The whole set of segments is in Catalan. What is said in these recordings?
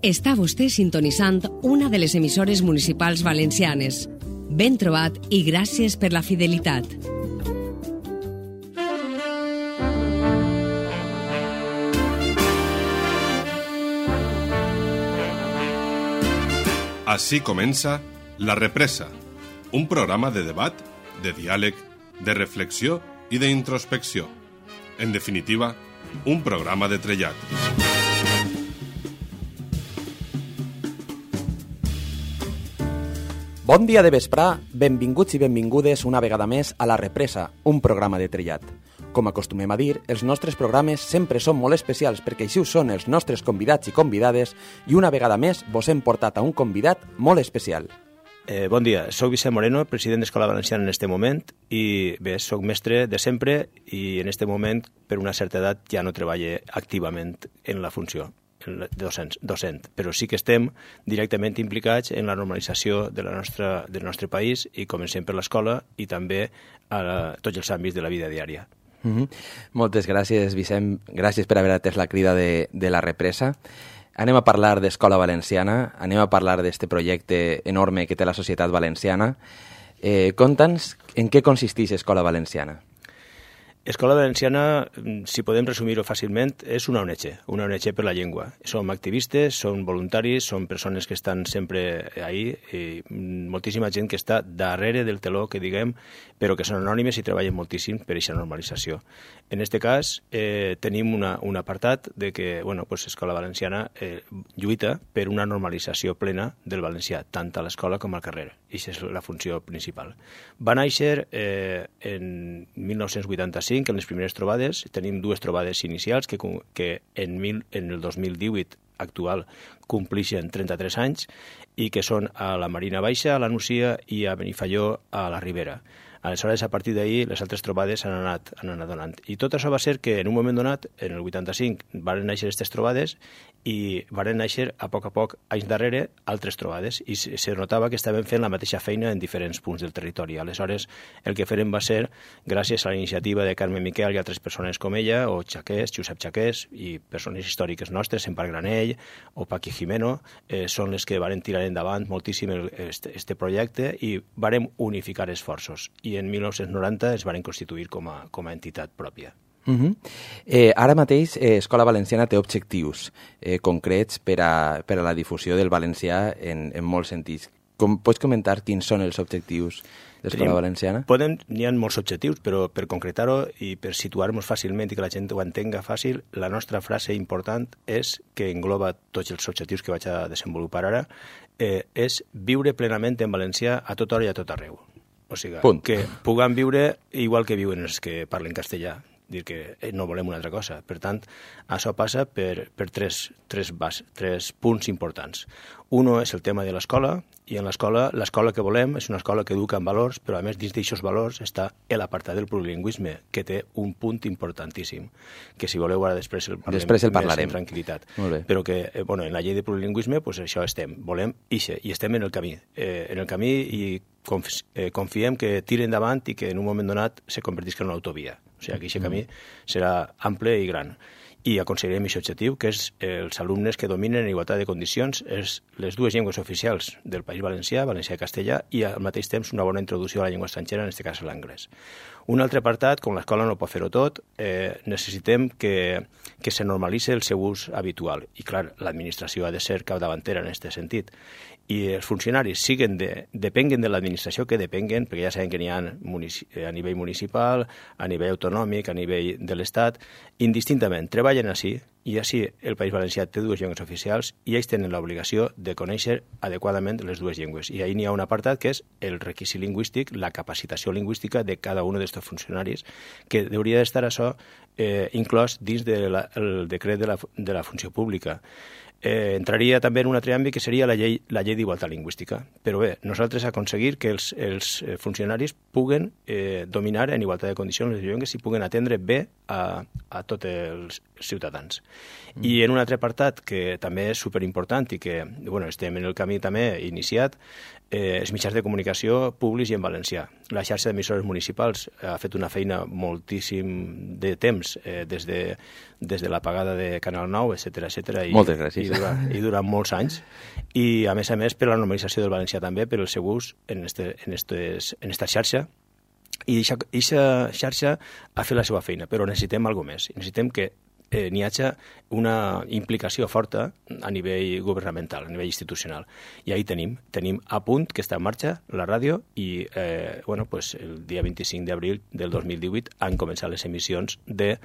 Està vostè sintonitzant una de les emissores municipals valencianes. Ben trobat i gràcies per la fidelitat. Així comença La Represa, un programa de debat, de diàleg, de reflexió i d'introspecció. En definitiva, un programa de trellat. Bon dia de vesprà, benvinguts i benvingudes una vegada més a La Represa, un programa de trellat. Com acostumem a dir, els nostres programes sempre són molt especials perquè així ho són els nostres convidats i convidades i una vegada més vos hem portat a un convidat molt especial. Bon dia, soc Vicent Moreno, president d'Escola Valenciana en este moment i bé, soc mestre de sempre i en este moment, per una certa edat, ja no treballo activament en la funció docent, però sí que estem directament implicats en la normalització del nostre país i comencem per l'escola i també a tots els àmbits de la vida diària. Moltes gràcies, Vicent. Gràcies per haver atès la crida de La Represa. Anem a parlar d'Escola Valenciana, anem a parlar d'este projecte enorme que té la societat valenciana. Conta'ns en què consisteix Escola Valenciana. Escola Valenciana, si podem resumir-ho fàcilment, és una ONG per la llengua. Som activistes, som voluntaris, som persones que estan sempre ahí, i moltíssima gent que està darrere del teló, que diguem, però que són anònimes i treballen moltíssim per aquesta normalització. En aquest cas, tenim un apartat de que Escola Valenciana lluita per una normalització plena del valencià, tant a l'escola com al carrer. I aquesta és la funció principal. Va néixer en 1985, en les primeres trobades. Tenim dues trobades inicials que en el 2018 actual complixen 33 anys i que són a la Marina Baixa, a la Nucia i a Benifaió, a la Ribera. Aleshores, a partir d'ahir, les altres trobades han anat donant. I tot això va ser que, en un moment donat, en el 85, van néixer aquestes trobades i van néixer, a poc, anys darrere, altres trobades. I se notava que estaven fent la mateixa feina en diferents punts del territori. Aleshores, el que feren va ser, gràcies a la iniciativa de Carme Miquel i altres persones com ella, o Chaqués, Josep Chaqués, i persones històriques nostres, Empar Granell o Paqui Jimeno, són les que van tirar endavant moltíssim este projecte i varen unificar esforços. I en 1990 es van constituir com a entitat pròpia. Ara mateix Escola Valenciana té objectius concrets per a la difusió del valencià en molts sentits. Pots comentar quins són els objectius d'Escola Valenciana? N'hi ha molts objectius, però per concretar-ho i per situar-nos fàcilment i que la gent ho entenga fàcil, la nostra frase important és, que engloba tots els objectius que vaig a desenvolupar ara, és viure plenament en valencià a tota hora i a tot arreu. O sigui, que puguem viure igual que viuen els que parlen castellà, dir que no volem una altra cosa. Per tant, això passa per tres punts importants. Un és el tema de l'escola, i en l'escola que volem és una escola que educa en valors, però a més dins d'aquests valors està l'apartat del plurilingüisme, que té un punt importantíssim, que si voleu ara després el parlarem amb tranquil·litat. Però que en la llei de plurilingüisme això estem, volem ixe, i estem en el camí. I confiem que tiri endavant i que en un moment donat se convertisca en una autovia. O sigui, que aquest camí serà ample i gran. I aconseguirem aquest objectiu, que és els alumnes que dominen en igualtat de condicions les dues llengües oficials del País Valencià, valencià i castellà, i al mateix temps una bona introducció a la llengua estrangera, en aquest cas l'anglès. Un altre apartat, com l'escola no pot fer-ho tot, necessitem que se normalitzi el seu ús habitual. I, clar, l'administració ha de ser capdavantera en aquest sentit. I els funcionaris depenguen de l'administració que depenguen, perquè ja sabem que n'hi ha a nivell municipal, a nivell autonòmic, a nivell de l'Estat, indistintament, treballen així, i així el País Valencià té dues llengües oficials i ells tenen l'obligació de conèixer adequadament les dues llengües. I ahir n'hi ha un apartat que és el requisit lingüístic, la capacitació lingüística de cada un d'aquests funcionaris, que hauria d'estar això inclòs dins del decret de la funció pública. Entraria també en un altre àmbit que seria la llei d'igualtat lingüística. Però bé, nosaltres aconseguir que els funcionaris puguen dominar en igualtat de condicions les llengües i puguen atendre bé a tots els ciutadans. I en un altre apartat que també és superimportant i que estem en el camí també iniciat, els mitjans de comunicació públics i en valencià. La xarxa d'emissores municipals ha fet una feina moltíssim de temps, des de l'apagada de Canal 9, etc. Moltes gràcies. I durant molts anys. I, a més, per la normalització del valencià també, per el seu ús en esta xarxa. I aquesta xarxa ha fet la seva feina, però necessitem alguna més. Necessitem que n'hi hagi una implicació forta a nivell governamental, a nivell institucional. I ahí tenim A Punt, que està en marxa, la ràdio, i el dia 25 d'abril del 2018 han començat les emissions de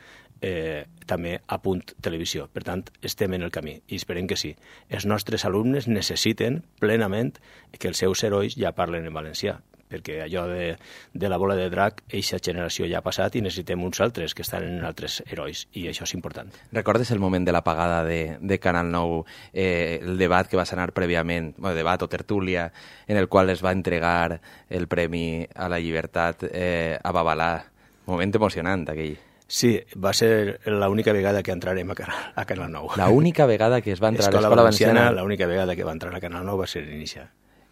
també A Punt Televisió. Per tant, estem en el camí i esperem que sí. Els nostres alumnes necessiten plenament que els seus herois ja parlen en valencià, perquè allò de la bola de drac, eixa generació ja ha passat i necessitem uns altres que estan en altres herois, i això és important. Recordes el moment de l'apagada de Canal 9, el debat que va sanar prèviament, debat o tertúlia, en el qual es va entregar el Premi a la Llibertat a Babalà? Moment emocionant, aquell. Sí, va ser l'única vegada que entrarem a Canal 9. L'única vegada que es va entrar a l'Escola Valenciana. L'única vegada que va entrar a Canal 9 va ser l'inici.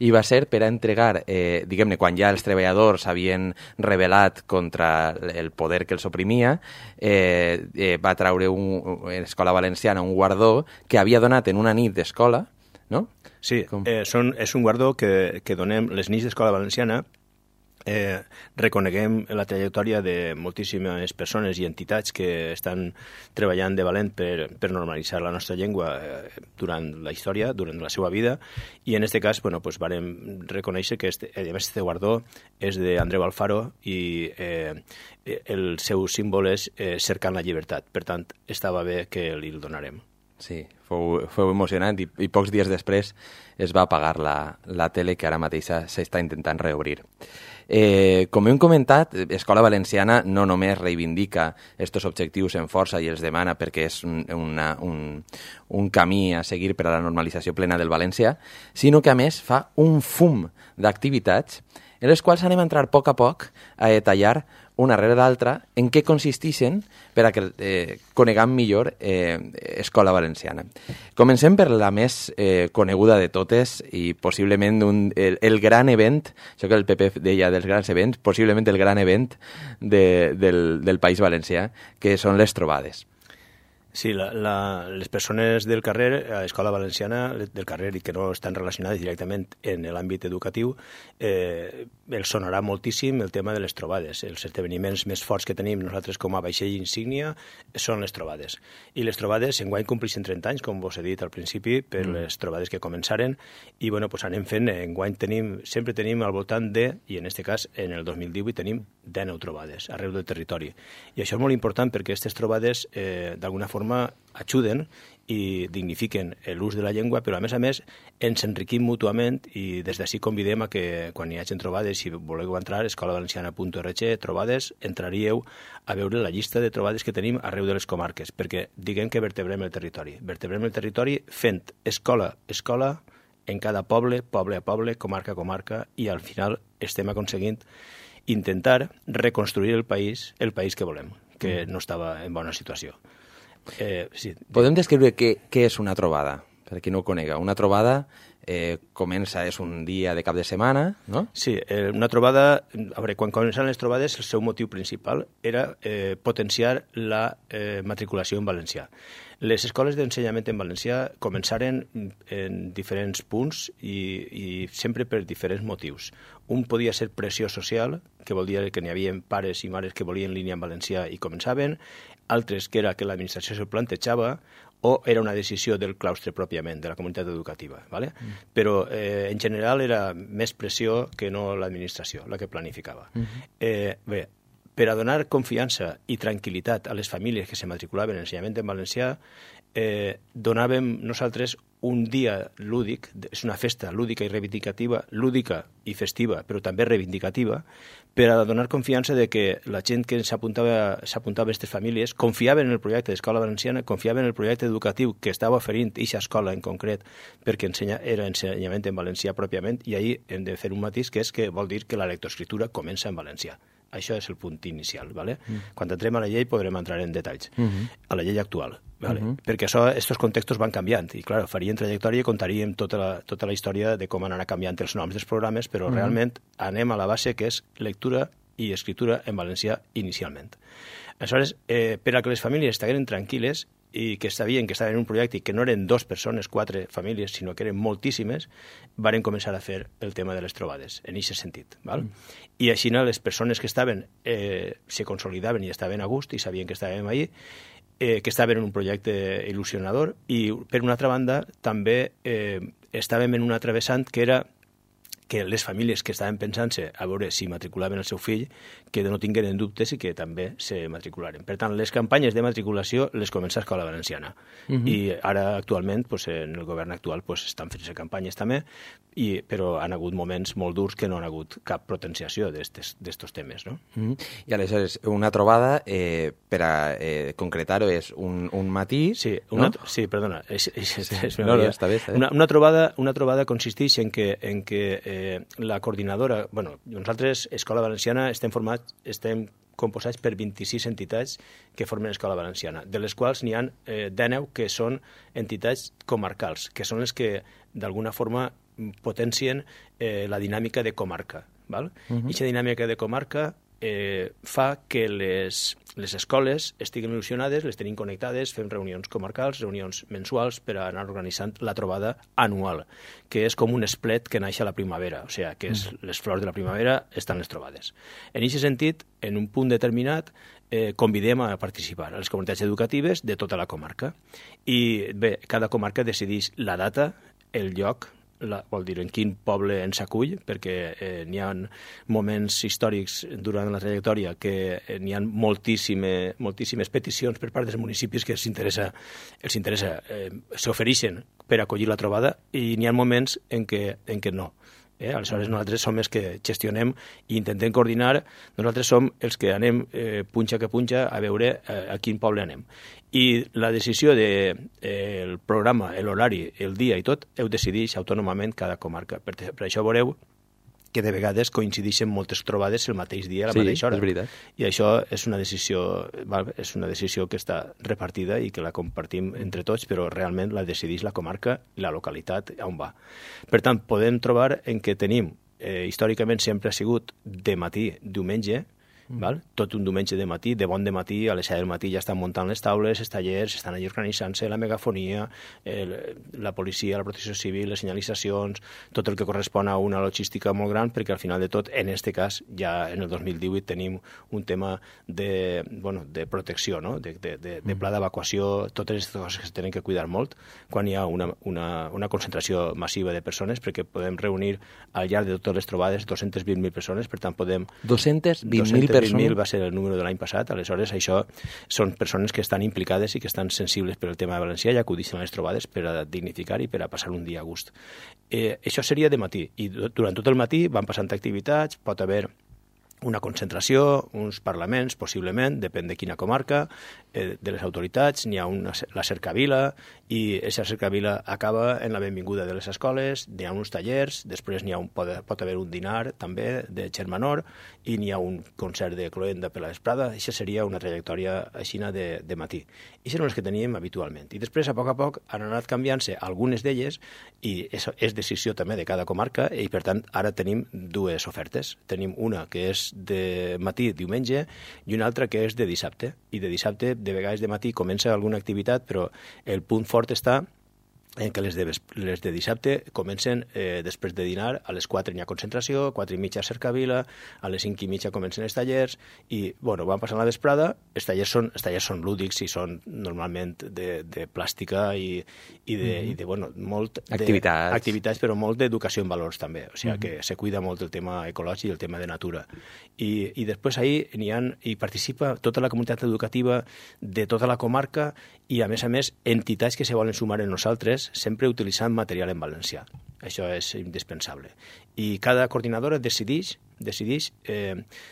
I va ser per a entregar, diguem-ne, quan ja els treballadors havien rebel·lat contra el poder que els oprimia, va traure l'Escola Valenciana un guardó que havia donat en una nit d'escola, no? Sí, és un guardó que donem les nits d'Escola Valenciana. Reconeguem la trajectòria de moltíssimes persones i entitats que estan treballant de valent per normalitzar la nostra llengua durant la història, durant la seva vida, i en aquest cas vàrem reconèixer que este guardó és d'Andreu Alfaro i el seu símbol és cercant la llibertat. Per tant, estava bé que li el donarem. Sí, fou emocionant i pocs dies després es va apagar la tele, que ara mateix s'està intentant reobrir. Com hem comentat, Escola Valenciana no només reivindica aquests objectius en força i els demana perquè és un camí a seguir per a la normalització plena del valencià, sinó que a més fa un fum d'activitats en les quals anem a entrar a poc a detallar una rere l'altra en què consisteixen per a que coneguem millor Escola Valenciana. Comencem per la més coneguda de totes i possiblement el gran event, això que el PP deia dels grans events, possiblement el gran event del País Valencià, que són les trobades. Sí, les persones del carrer, a l'Escola Valenciana del carrer i que no estan relacionades directament en l'àmbit educatiu, els sonarà moltíssim el tema de les trobades. Els esdeveniments més forts que tenim nosaltres com a vaixell insígnia són les trobades. I les trobades enguany compleixen 30 anys, com vos he dit al principi, per les trobades que començaren, i anem fent, enguany sempre tenim al voltant de, i en aquest cas en el 2018 tenim 19 trobades arreu del territori. I això és molt important perquè aquestes trobades d'alguna forma ajuden i dignifiquen l'ús de la llengua, però a més ens enriquim mútuament, i des d'ací convidem a que quan hi hagi trobades, si voleu entrar a escolavalenciana.org, trobades, entraríeu a veure la llista de trobades que tenim arreu de les comarques, perquè diguem que vertebrem el territori. Vertebrem el territori fent escola en cada poble a poble, comarca a comarca, i al final estem aconseguint intentar reconstruir el país que volem, que no estava en bona situació. Sí. Podem descriure què és una trobada, per a qui no ho conega. Una trobada és un dia de cap de setmana, no? Sí, una trobada, a veure, quan començaven les trobades, el seu motiu principal era potenciar la matriculació en valencià. Les escoles d'ensenyament en valencià començaren en diferents punts i sempre per diferents motius. Un podia ser pressió social, que vol dir que n'hi havia pares i mares que volien línia en valencià i començaven, altres que era que l'administració se'l plantejava, o era una decisió del claustre pròpiament, de la comunitat educativa. ¿vale? Però en general era més pressió que no l'administració, la que planificava. Bé, per a donar confiança i tranquil·litat a les famílies que se matriculaven en ensenyament en valencià, donàvem nosaltres un dia lúdic, és una festa lúdica i reivindicativa, lúdica i festiva, però també reivindicativa, per a donar confiança de que la gent que s'apuntava a aquestes famílies confiaven en el projecte d'Escola Valenciana, confiaven en el projecte educatiu que estava oferint aquesta escola en concret, perquè era ensenyament en valencià pròpiament, i ahir hem de fer un matís, que és que vol dir que la lectoescriptura comença en valencià. Això és el punt inicial. ¿Vale? Quan entrem a la llei podrem entrar en detalls. A la llei actual. ¿Vale? Perquè aquests contextos van canviant i, clar, faríem trajectòria i contaríem tota la història de com anar canviant els noms dels programes, però realment anem a la base que és lectura i escritura en valencià inicialment. Aleshores, per a que les famílies estiguin tranquil·les i que sabien que estaven en un projecte i que no eren 2 persones, 4 famílies, sinó que eren moltíssimes, varen començar a fer el tema de les trobades, en aquest sentit. Val? I així les persones que estaven se consolidaven i estaven a gust i sabien que estàvem allí, que estaven en un projecte il·lusionador i, per una altra banda, també estàvem en una travessant que era que les famílies que estaven pensant-se a veure si matriculaven el seu fill, que no tingueren dubtes i que també se matricularen. Per tant, les campanyes de matriculació les comença a Escola Valenciana. I ara, actualment, en el govern actual, estan fent-se campanyes també, però han hagut moments molt durs que no han hagut cap potenciació d'estos temes. No? I aleshores, una trobada, per a concretar-ho, és un matí... Sí, perdona. No, està bé. Una trobada consisteix en que la coordinadora... Nosaltres, Escola Valenciana, estem composats per 26 entitats que formen Escola Valenciana, de les quals n'hi ha 19 que són entitats comarcals, que són les que, d'alguna forma, potencien la dinàmica de comarca. I aquesta dinàmica de comarca fa que les escoles estiguin il·lusionades, les tenim connectades, fem reunions comarcals, reunions mensuals per anar organitzant la trobada anual, que és com un esplet que naix a la primavera, o sigui, que és les flors de la primavera estan les trobades. En aquest sentit, en un punt determinat, convidem a participar a les comunitats educatives de tota la comarca. I bé, cada comarca decideix la data, el lloc, vol dir en quin poble ens acull, perquè n'hi ha moments històrics durant la trajectòria que n'hi ha moltíssimes peticions per part dels municipis que els interessa, s'ofereixen per acollir la trobada i n'hi ha moments en què no. Aleshores nosaltres som els que gestionem i intentem coordinar, nosaltres som els que anem punxa que punxa a veure a quin poble anem. I la decisió del programa, l'horari, el dia i tot, ho decideix autònomament cada comarca. Per això veureu que de vegades coincideixen moltes trobades el mateix dia, a la mateixa hora. Sí, és veritat. I això és una decisió que està repartida i que la compartim entre tots, però realment la decideix la comarca i la localitat on va. Per tant, podem trobar en què tenim, històricament sempre ha sigut de matí, diumenge, tot un diumenge de matí, de bon de matí, a les 7 del matí ja estan muntant les taules, els tallers, estan allà organitzant-se, la megafonia, la policia, la protecció civil, les senyalitzacions, tot el que correspon a una logística molt gran, perquè al final de tot, en aquest cas, ja en el 2018 tenim un tema de protecció, no? de pla d'evacuació, totes aquestes coses que es tenen que cuidar molt quan hi ha una concentració massiva de persones, perquè podem reunir al llarg de totes les trobades 220.000 persones, per tant podem... 220.000 220.000 va ser el número de l'any passat, aleshores això són persones que estan implicades i que estan sensibles per al tema de valencià i acudixen a les trobades per a dignificar i per a passar un dia a gust. Això seria de matí, i durant tot el matí van passant activitats, pot haver una concentració, uns parlaments, possiblement, depèn de quina comarca, de les autoritats, n'hi ha la cercavila, i aquesta cercavila acaba en la benvinguda de les escoles, n'hi ha uns tallers, després pot haver un dinar, també, de germanor, i n'hi ha un concert de cloenda per la vesprada. Això seria una trajectòria aixina de matí. I són les que teníem habitualment. I després, a poc, han anat canviant-se algunes d'elles, i és decisió també de cada comarca, i per tant, ara tenim dues ofertes. Tenim una que és de matí, diumenge, i una altra que és de dissabte. I de dissabte, de vegades de matí, comença alguna activitat, però el punt fort està en què les de dissabte comencen després de dinar, a les 4 n'hi ha concentració, 4:30 cercavila, a les 5:30 comencen els tallers, i van passant la vesprada. Els tallers són lúdics i són normalment de plàstica i de molt activitats, però molt d'educació en valors també, o sigui que se cuida molt el tema ecològic i el tema de natura. I després ahir hi participa tota la comunitat educativa de tota la comarca i, a més, entitats que se volen sumar en nosaltres, sempre utilitzant material en valencià. Això és indispensable. I cada coordinadora decideix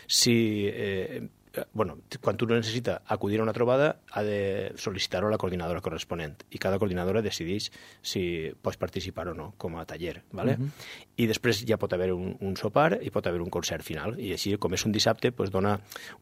si quan tu necessita acudir a una trobada, ha de sol·licitar-ho a la coordinadora corresponent i cada coordinadora decideix si pots participar o no com a taller, ¿vale? I després ja pot haver un sopar i pot haver un concert final, i així, com és un dissabte, pues dona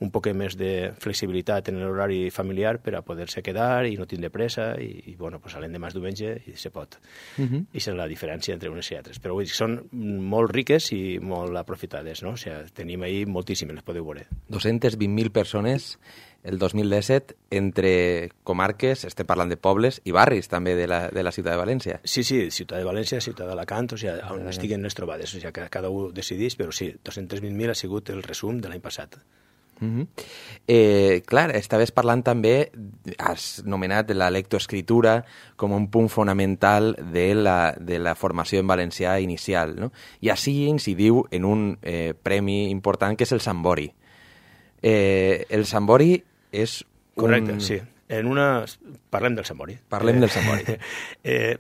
un poc més de flexibilitat en l'horari familiar per a poder-se quedar i no tindre pressa, i bueno, pues l'endemà és diumenge i se pot. I és la diferència entre unes i altres. Però vull dir, són molt riques i molt aprofitades, no? O sigui, tenim ahí moltíssimes, les podeu veure. 220.000 persones el 2017 entre comarques, estem parlant de pobles i barris també de la ciutat de València. Sí, ciutat de València, ciutat d'Alacant, o sigui, on estiguen les trobades, o sigui, que cada un decideix, però sí, 220.000 ha sigut el resum de l'any passat. Clar, estaves parlant també, has nomenat la lectoescritura com un punt fonamental de la formació en valencià inicial, no? I així incidiu en un premi important que és el Sambori. El Sambori és correcte, sí. Parlem del Sambori. Parlem del Sambori.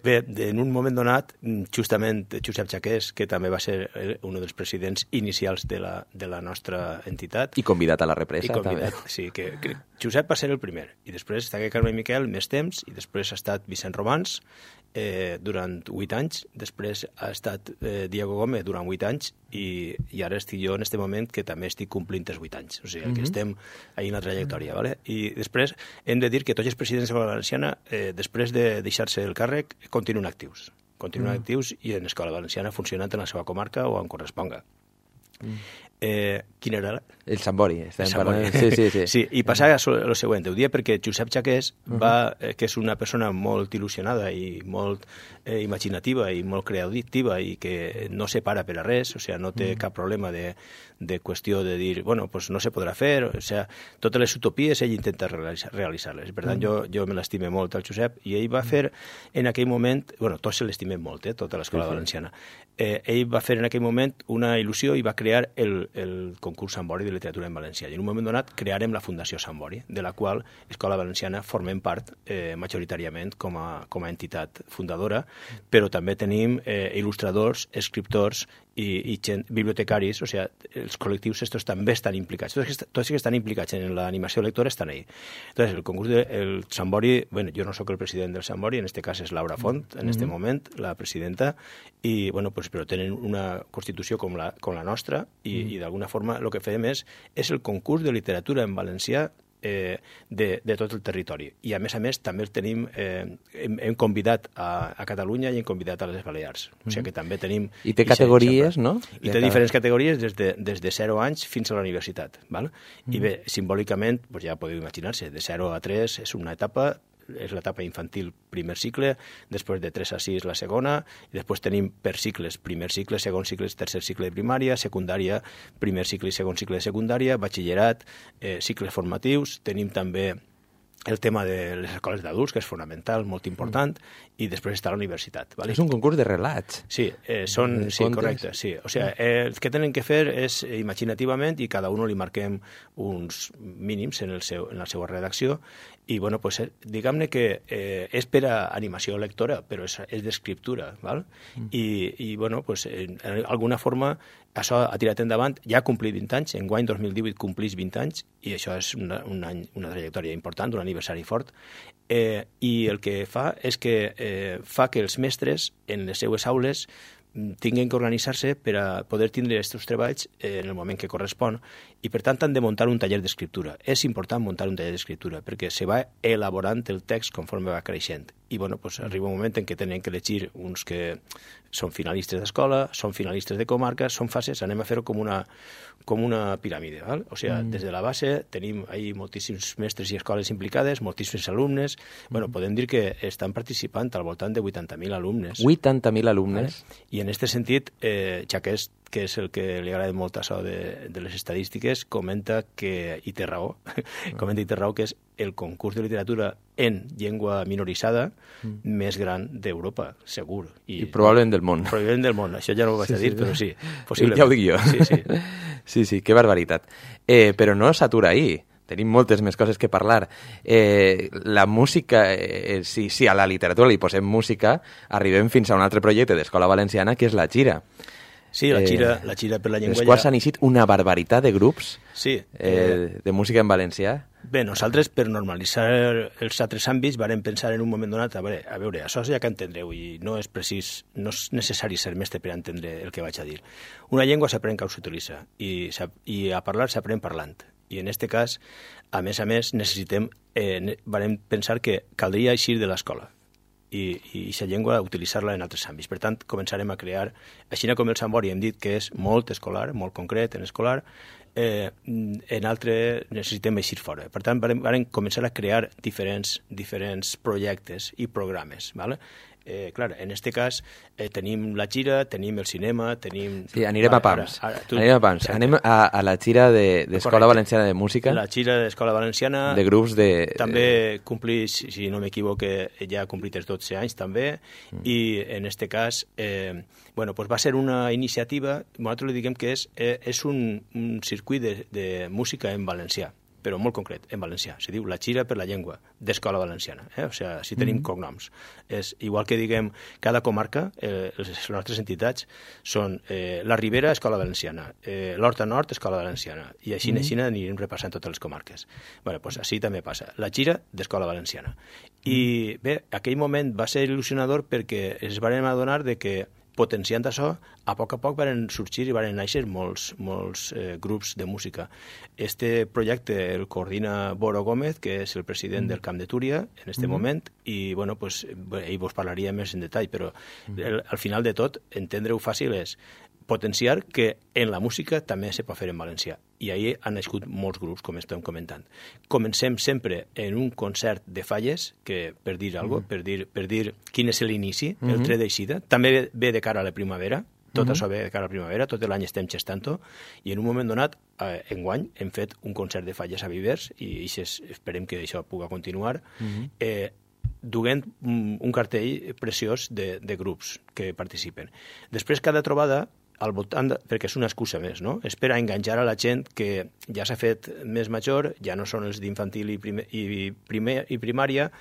Bé, en un moment donat, justament Josep Chaqués, que també va ser un dels presidents inicials de la nostra entitat. I convidat a la represa. I convidat, també. Sí, que Josep va ser el primer. I després està Carme Miquel més temps, i després ha estat Vicent Romans durant 8 anys, després ha estat Diego Gómez durant 8 anys, i ara estic jo en aquest moment que també estic complint els 8 anys. O sigui, que estem ahí en la trajectòria, ¿vale? I després hem de dir que tots els presidents de l'Escola Valenciana, després de deixar-se el càrrec, continuen actius. Continuen actius i en l'Escola Valenciana funcionant en la seva comarca o on corresponga. Quin era? El Sambori. Sí, i passava el següent. Ho dia perquè Josep Chaqués, que és una persona molt il·lusionada i molt imaginativa i molt creativa i que no se para per a res, o sigui, no té cap problema de qüestió de dir, bueno, pues no se podrà fer, o sigui, totes les utopies ell intenta realitzar-les. Per tant, jo me l'estime molt al Josep, i ell va fer en aquell moment, bueno, tots se l'estimem molt, tota l'Escola Valenciana, ell va fer en aquell moment una il·lusió i va crear el concurs Sambori de literatura en valencià. I en un moment donat crearem la Fundació Sambori, de la qual Escola Valenciana formem part majoritàriament com a entitat fundadora, però també tenim il·lustradors, escriptors i bibliotecaris, o sigui, els col·lectius estos també estan implicats. Tots que estan implicats en l'animació lectora estan ahí. Entonces, el concurs del Sambori, bueno, jo no sóc el president del Sambori, en este cas és Laura Font, en este moment, la presidenta, i, bueno, pues, però tenen una constitució com la nostra, i d'alguna forma el que fem és el concurs de literatura en valencià de tot el territori. I a més també el tenim, hem convidat a Catalunya i hem convidat a les Balears. O sigui que també tenim... I té categories, no? I té diferents categories des de 0 anys fins a la universitat. I bé, simbòlicament, ja podeu imaginar-se, de 0 a 3 és una etapa, és l'etapa infantil primer cicle, després de 3 a 6 la segona, i després tenim per cicles, primer cicle, segon cicle, tercer cicle de primària, secundària, primer cicle i segon cicle de secundària, batxillerat, cicles formatius, tenim també el tema de les escoles d'adults, que és fonamental, molt important, i després està la universitat. És un concurs de relats. Sí, sí, correcte. Sí. O sigui, el que tenen que fer és imaginativament, i cada un li marquem uns mínims en la seva redacció, i bueno, pues, diguem-ne que és per a animació lectora, però és d'escriptura, val? I bueno, pues, d'alguna forma això ha tirat endavant, ja ha complit 20 anys, enguany 2018 complís 20 anys, i això és una trajectòria important, un aniversari fort, i el que fa és que fa que els mestres en les seues aules tinguin que organitzar-se per a poder tindre aquests treballs en el moment que correspon, i per tant han de muntar un taller d'escriptura. És important muntar un taller d'escriptura perquè se va elaborant el text conforme va creixent. I bueno, pues, arriba un moment en què tenen que elegir uns que són finalistes d'escola, són finalistes de comarca, són fases, anem a fer-ho com una piràmide. Val? O sigui, des de la base tenim ahí moltíssims mestres i escoles implicades, moltíssims alumnes. Bueno, podem dir que estan participant al voltant de 80.000 alumnes. 80.000 alumnes. I en aquest sentit, Chaqués, que és el que li agrada molt això de les estadístiques, comenta que, i té raó, que és el concurs de literatura en llengua minoritzada més gran d'Europa, segur. I probablement del món. Probablement del món, això ja no ho vaig a dir, però sí, possiblement. Ja ho dic jo. Sí, que barbaritat. Però no s'atura ahí. Tenim moltes més coses que parlar. La música, si a la literatura li posem música, arribem fins a un altre projecte d'Escola Valenciana, que és la Gira. Sí, la Xira per la Llengua. Els quals s'han eixit una barbaritat de grups de música en valencià. Bé, nosaltres, per normalitzar els altres àmbits, vam pensar en un moment donat, a veure, això ja que entendreu, i no és necessari ser mestre per entendre el que vaig a dir. Una llengua s'aprèn quan s'utilitza, i a parlar s'aprèn parlant. I en aquest cas, a més, vam pensar que caldria eixir de l'escola i aquesta llengua utilitzar-la en altres àmbits. Per tant, començarem a crear, així com el Sambori hem dit que és molt escolar, molt concret en escolar, en altre necessitem eixir fora. Per tant, vam començar a crear diferents projectes i programes. ¿Vale? Clar, en aquest cas tenim la Xira, tenim el cinema, tenim... Sí, anirem a pams. Anem a la Xira d'Escola Valenciana de Música. La Xira d'Escola Valenciana... De grups de... També complís, si no m'equivoque, ja ha complit els 12 anys també, i en aquest cas va ser una iniciativa, nosaltres li diguem que és un circuit de música en valencià, però molt concret, en valencià. Se diu la Xira per la Llengua, d'Escola Valenciana. O sigui, si tenim cognoms. És igual que diguem cada comarca, les nostres entitats són la Ribera, Escola Valenciana, l'Horta Nord, Escola Valenciana, i així anirem repassant totes les comarques. Bé, doncs així també passa. La Xira d'Escola Valenciana. I bé, aquell moment va ser il·lusionador perquè ens vam adonar que potenciant això, a poc van sorgir i van néixer molts grups de música. Este projecte el coordina Boro Gómez, que és el president del Camp de Túria en aquest moment, i ell vos parlaria més en detall, però al final de tot, entendre-ho fàcil és potenciar que en la música també se pot fer en valencià. I ahir han nascut molts grups, com estem comentant. Comencem sempre en un concert de falles, que per dir alguna cosa, per dir quin és l'inici, el tret d'eixida. També ve de cara a la primavera, tot això ve de cara a la primavera, tot l'any estem gestant-ho, i en un moment donat, enguany, hem fet un concert de falles a Vivers, i esperem que això pugui continuar, duent un cartell preciós de grups que participen. Després, cada trobada, al voltant, perquè és una excusa més, no? És per a enganxar a la gent que ja s'ha fet més major, ja no són els d'infantil i primària,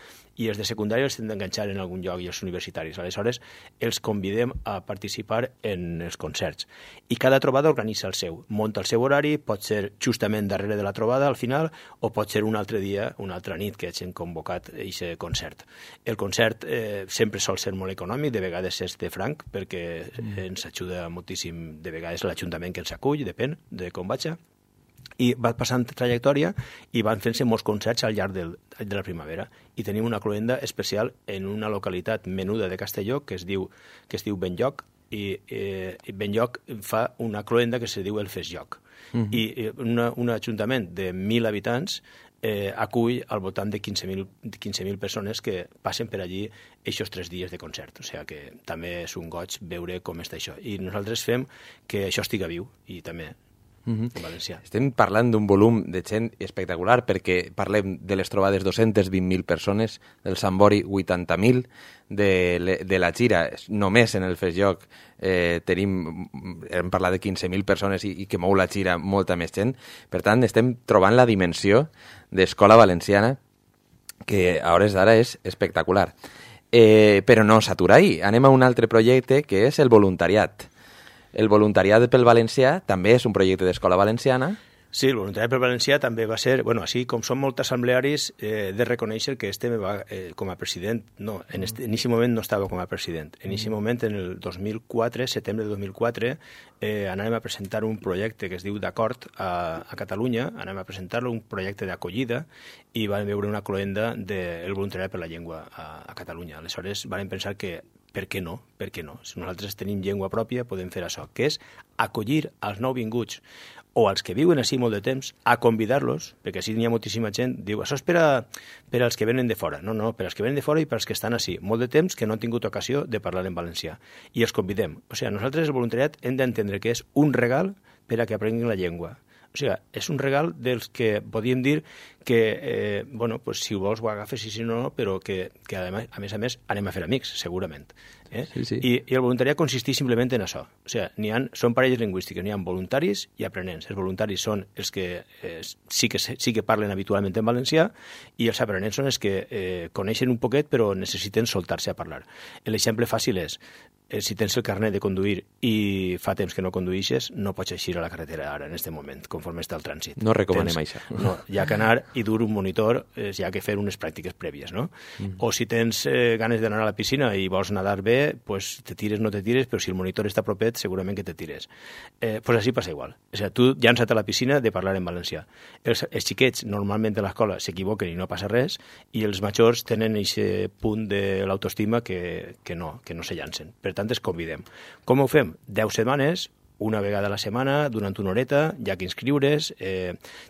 i els de secundària els hem d'enganxar en algun lloc, i els universitaris. Aleshores, els convidem a participar en els concerts. I cada trobada organitza el seu. Monta el seu horari, pot ser justament darrere de la trobada, al final, o pot ser un altre dia, una altra nit, que hagin convocat aquest concert. El concert sempre sol ser molt econòmic, de vegades és de franc, perquè ens ajuda moltíssim, de vegades l'Ajuntament que ens acull, depèn de com vagi, i va passant trajectòria i van fent-se molts concerts al llarg de la primavera. I tenim una cloenda especial en una localitat menuda de Castelló que es diu Benlloc, i Benlloc fa una cloenda que se diu el Festjoc. I un ajuntament de 1.000 habitants acull al voltant de 15.000 persones que passen per allí aquests 3 dies de concert. O sigui que també és un goig veure com està això. I nosaltres fem que això estiga viu, i també en valencià. Estem parlant d'un volum de gent espectacular, perquè parlem de les trobades 220.000 persones, del Sambori 80.000, de la Xira, només en el Festjoc hem parlat de 15.000 persones i que mou la Xira molta més gent. Per tant, estem trobant la dimensió d'Escola Valenciana, que a hores d'ara és espectacular. Però no s'atura ahí. Anem a un altre projecte, que és el voluntariat. El voluntariat pel valencià també és un projecte d'Escola Valenciana. Sí, el voluntariat pel valencià també va ser... Bueno, així com som molt assemblearis, de reconèixer que me va com a president... No, en aquest moment no estava com a president. En aquest moment, en el 2004, setembre de 2004, anàvem a presentar un projecte que es diu d'Acord a Catalunya, anàvem a presentar-lo, un projecte d'acollida, i vam veure una cloenda del voluntariat per la llengua a Catalunya. Aleshores, vam pensar que per què no? Per què no? Si nosaltres tenim llengua pròpia, podem fer això, que és acollir als nouvinguts o als que viuen així molt de temps, a convidar-los, perquè així n'hi ha moltíssima gent, diu, això és per als que venen de fora. No, per als que venen de fora i per als que estan així, molt de temps que no han tingut ocasió de parlar en valencià. I els convidem. O sigui, nosaltres el voluntariat hem d'entendre que és un regal per a que aprenguin la llengua. O sigui, és un regal dels que podíem dir que, si ho vols ho agafes i si no, però que a més anem a fer amics, segurament. Sí. I el voluntariat consisteix simplement en això. O sigui, són parelles lingüístiques, n'hi ha voluntaris i aprenents. Els voluntaris són els que sí que parlen habitualment en valencià, i els aprenents són els que coneixen un poquet però necessiten soltar-se a parlar. L'exemple fàcil és si tens el carnet de conduir i fa temps que no conduïxes, no pots eixir a la carretera ara, en aquest moment, conforme està el trànsit. No recomanem això. No, hi ha que anar i dur un monitor, hi ha que fer unes pràctiques prèvies, no? O si tens ganes d'anar a la piscina i vols nadar bé, pues te tires, no te tires, però si el monitor està propet, segurament que te tires. Pues així passa igual. O sigui, tu llança't a la piscina de parlar en valencià. Els xiquets, normalment a l'escola, s'equivoquen i no passa res, i els majors tenen aquest punt de l'autoestima que no se llancen. Per tant, es convidem. Com ho fem? 10 setmanes, una vegada a la setmana, durant una horeta, hi ha que inscriure's.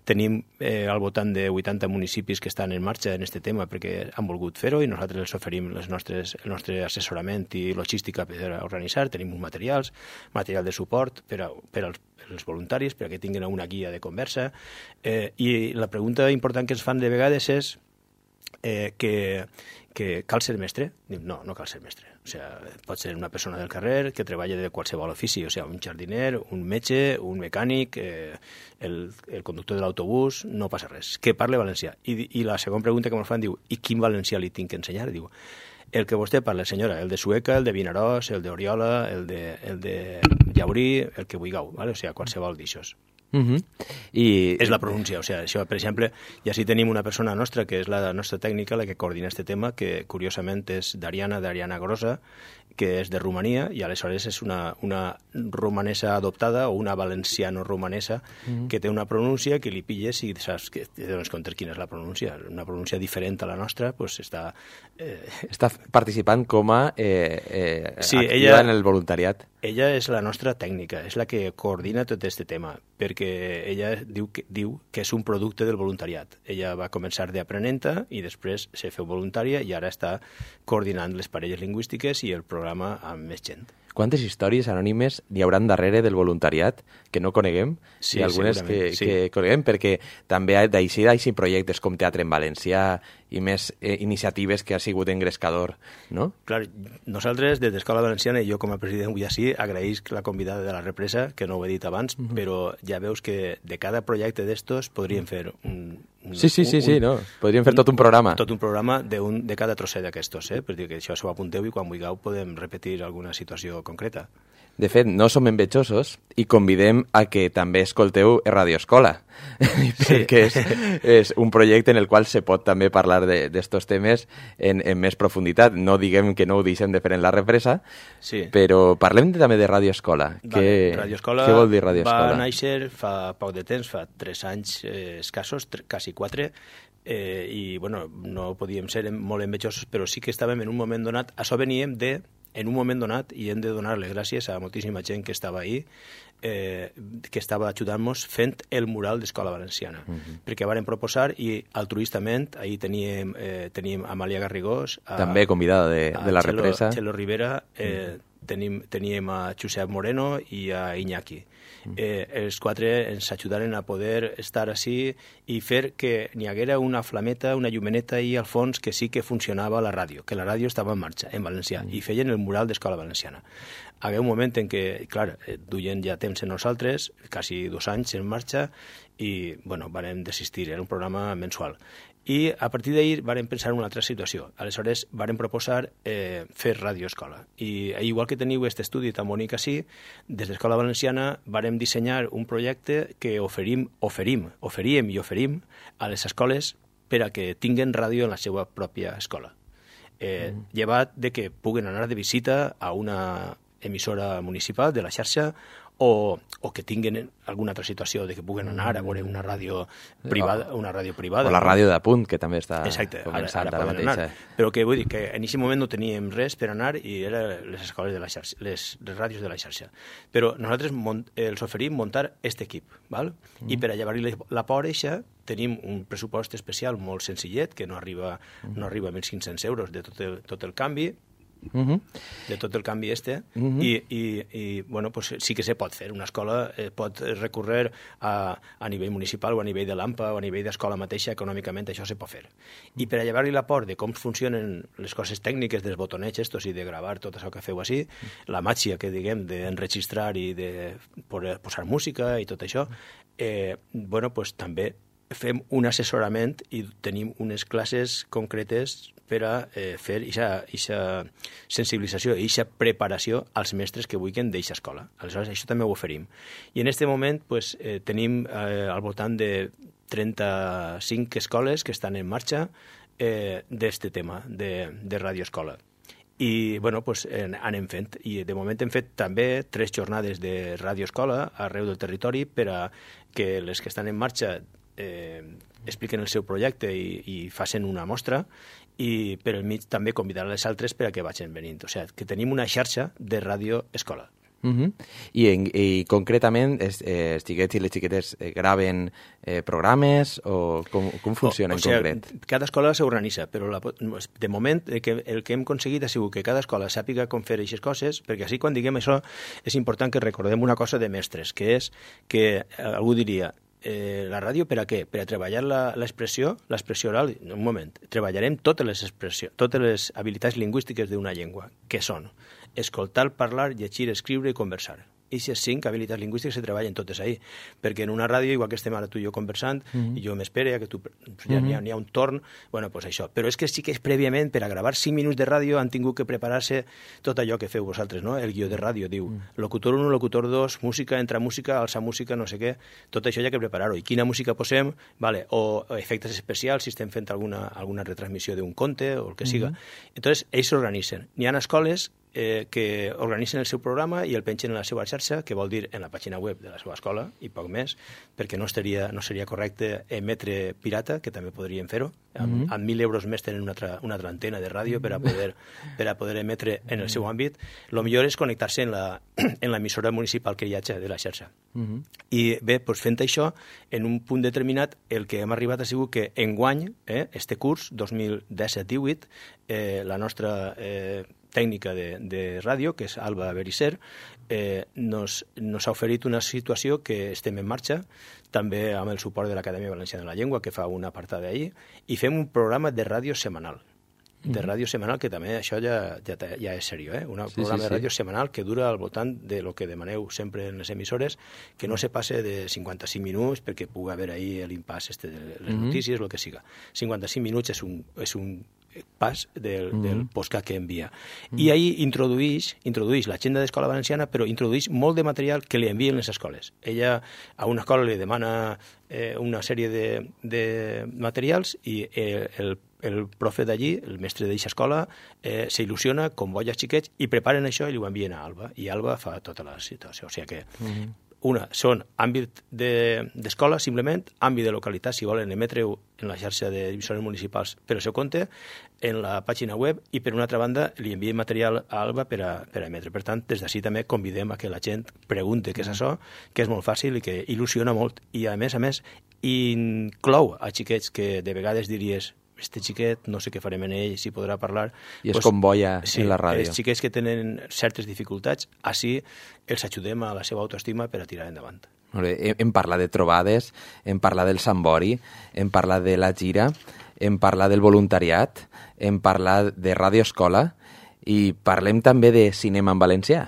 Tenim al voltant de 80 municipis que estan en marxa en aquest tema perquè han volgut fer-ho i nosaltres els oferim el nostre assessorament i logística per organitzar. Tenim uns material de suport per als voluntaris, perquè tinguin una guia de conversa. I la pregunta important que ens fan de vegades és que cal ser mestre? No cal ser mestre. O sigui, pot ser una persona del carrer que treballa de qualsevol ofici, o sigui, un jardiner, un metge, un mecànic, el conductor de l'autobús, no passa res. Que parle valencià. I la segona pregunta que ens fan diu, i quin valencià li tinc que ensenyar? Diu, el que vostè parla, senyora, el de Sueca, el de Vinaròs, el d'Oriola, el de Llaurí, el que vulgueu, ¿vale? O sigui, qualsevol d'aixòs. I és la pronúncia, o sigui, això, per exemple, ja si tenim una persona nostra, que és la nostra tècnica, la que coordina aquest tema, que curiosament és d'Ariana Grossa, que és de Romania, i aleshores és una romanesa adoptada o una valenciano-romanesa que té una pronúncia que li pilles i saps que te dones compte quina és la pronúncia. Una pronúncia diferent a la nostra, doncs està... Està participant com a sí, activa en el voluntariat. Ella és la nostra tècnica, és la que coordina tot aquest tema, perquè ella diu que és un producte del voluntariat. Ella va començar d'aprenenta i després se feu voluntària i ara està coordinant les parelles lingüístiques i el programa amb més gent. Quantes històries anònimes hi hauran darrere del voluntariat que no coneguem? Sí, i algunes sí. que coneguem, perquè també d'així projectes com Teatre en Valencià i més iniciatives que ha sigut engrescador, no? Clar, nosaltres, des d'Escola Valenciana, i jo com a president avui així, agraïsc la convidada de la represa, que no ho he dit abans, però ja veus que de cada projecte d'estos podríem fer no? Podríem fer tot un programa. Tot un programa de cada trosset d'aquestos, per dir que això s'ho apunteu i quan vulgueu podem repetir alguna situació concreta. De fet, no som envejosos i convidem a que també escolteu Radio Escola, perquè és un projecte en el qual se pot també parlar d'estos temes en més profunditat. No diguem que no ho deixem de fer en la represa, però parlem també de Radio Escola. Radio Escola què vol dir Radio Escola? Va néixer fa poc de temps, fa 3 anys escassos, quasi 4, i bueno, no podíem ser molt envejosos, però sí que estàvem en un moment donat, això veníem en un moment donat, i hem de donar-les gràcies a moltíssima gent que estava ahí, que estava ajudant-nos fent el mural d'Escola Valenciana. Perquè varen proposar, i altruistament, ahir teníem Amàlia Garrigós, també convidada de la represa, Txelo Rivera, teníem a Josep Moreno i a Iñaki. Els 4 ens ajudaren a poder estar així i fer que n'hi haguera una flameta, una llumeneta ahí al fons que sí que funcionava la ràdio, que la ràdio estava en marxa, en valencià, i feien el mural d'Escola Valenciana. Hi havia un moment en què, clar, duien ja temps en nosaltres, quasi 2 anys en marxa, i, bueno, vam desistir, era un programa mensual. I a partir d'ahir vàrem pensar en una altra situació. Aleshores vàrem proposar fer Radio Escola. I igual que teniu aquest estudi tan bonic així, des d'Escola Valenciana vàrem dissenyar un projecte que oferíem a les escoles per a que tinguen ràdio en la seva pròpia escola. Llevat de que puguen anar de visita a una emissora municipal de la xarxa o que tinguin alguna altra situació de que puguen anar a veure una ràdio privada. O la ràdio de Punt, que també està començant ara mateix. Anar. Però que vull dir que en aquest moment no teníem res per anar i eren les escoles de la xarxa, les ràdios de la xarxa. Però nosaltres els oferim muntar aquest equip, val? I per a llevar-li la por eixa tenim un pressupost especial molt senzillet, que no arriba a 1.500 euros de tot el canvi, de tot el canvi i bueno, pues sí que se pot fer. Una escola pot recórrer a nivell municipal o a nivell de l'AMPA o a nivell d'escola mateixa, econòmicament això se pot fer. I per a llevar-li la por de com funcionen les coses tècniques dels botonets estos i de gravar tot això que feu així, la màgia que diguem d'enregistrar i de posar música i tot això, bueno, pues també fem un assessorament i tenim unes classes concretes per a fer aquesta sensibilització i aquesta preparació als mestres que vulguin d'aquesta escola. Aleshores, això també ho oferim. I en aquest moment tenim al voltant de 35 escoles que estan en marxa d'aquest tema de radioescola. I anem fent. I de moment hem fet també 3 jornades de radioescola arreu del territori per a que les que estan en marxa expliquen el seu projecte i facin una mostra, i per al mig també convidar les altres per a que vagin venint. O sigui, que tenim una xarxa de radioescola. I concretament els xiquets i les xiquetes graven programes o com funciona en concret? Cada escola s'organitza, però de moment el que hem aconseguit ha sigut que cada escola sàpiga com fer aquestes coses, perquè així quan diguem això és important que recordem una cosa de mestres, que és que algú diria la ràdio per a què? Per a treballar l'expressió oral? Un moment, treballarem totes les habilitats lingüístiques d'una llengua, que són escoltar, parlar, llegir, escriure i conversar. I aquestes 5 habilitats lingüístiques se treballen totes ahí, perquè en una ràdio, igual que estem ara tu i jo conversant, i jo m'espere que tu ja n'hi ha un torn, doncs això. Però és que sí que és prèviament, per a gravar 5 minuts de ràdio, han tingut que preparar-se tot allò que feu vosaltres, no? El guió de ràdio diu locutor 1, locutor 2, música, entra música, alça música, no sé què, tot això hi ha que preparar-ho. I quina música posem, vale, o efectes especials, si estem fent alguna retransmissió d'un conte o el que siga. Entonces, ells s'organitzen. N'hi ha escoles que organitzen el seu programa i el pengen en la seva xarxa, que vol dir en la pàgina web de la seva escola, i poc més, perquè no seria correcte emetre pirata, que també podríem fer-ho. Amb 1.000 euros més tenen una altra antena de ràdio per a poder emetre en el seu àmbit. El millor és connectar-se en l'emissora municipal que hi ha de la xarxa. I bé, fent això, en un punt determinat, el que hem arribat ha sigut que enguany, este curs, 2017-18, la nostra tècnica de ràdio, que és Alba Berisser, nos ha oferit una situació que estem en marxa, també amb el suport de l'Acadèmia Valenciana de la Llengua, que fa una apartada d'ahir, i fem un programa de ràdio setmanal. De ràdio setmanal, que també això ja és seriós, un programa de ràdio setmanal que dura al voltant de lo que demaneu sempre en les emissores, que no se passe de 55 minuts, perquè pugui haver ahir l'impàs de les notícies, el que siga. 55 minuts és un pas del podcast que envia. I ahir introdueix l'agenda d'Escola Valenciana, però introdueix molt de material que li envien les escoles. Ella a una escola li demana una sèrie de materials i el profe d'allí, el mestre d'aquesta escola, s'il·lusiona, convoia els xiquets i preparen això i li ho envien a Alba. I Alba fa tota la situació. O sigui que una són àmbit d'escola, simplement, àmbit de localitat, si volen emetre-ho en la xarxa d'emissores municipals per al seu compte, en la pàgina web, i per una altra banda li enviem material a Alba per a emetre. Per tant, des d'ací també convidem a que la gent pregunte què és això, que és molt fàcil i que il·lusiona molt. I a més, inclou a xiquets que de vegades diries este xiquet, no sé què farem en ell, si podrà parlar. I es convoia en la ràdio. Els xiquets que tenen certes dificultats, així els ajudem a la seva autoestima per a tirar endavant. Molt bé. Hem parlat de trobades, hem parlat del Sambori, hem parlat de la gira, hem parlat del voluntariat, hem parlat de radioescola i parlem també de cinema en valencià.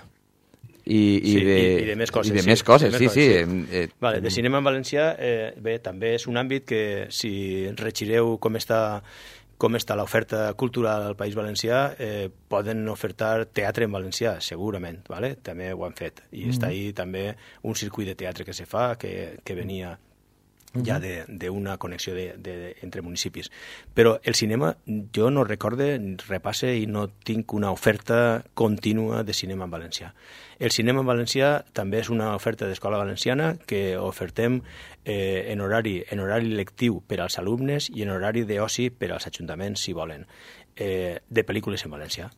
I de més coses. I de més coses, sí. Vale, de cinema en valencià, bé, també és un àmbit que, si regireu com està l'oferta cultural al País Valencià, poden ofertar teatre en valencià, segurament, vale? També ho han fet. I està ahí també un circuit de teatre que se fa, que venia ja d'una connexió entre municipis. Però el cinema, jo no recorde, repasse i no tinc una oferta contínua de cinema en valencià. El cinema en valencià també és una oferta d'Escola Valenciana que ofertem en horari lectiu per als alumnes i en horari d'oci per als ajuntaments, si volen, de pel·lícules en valencià,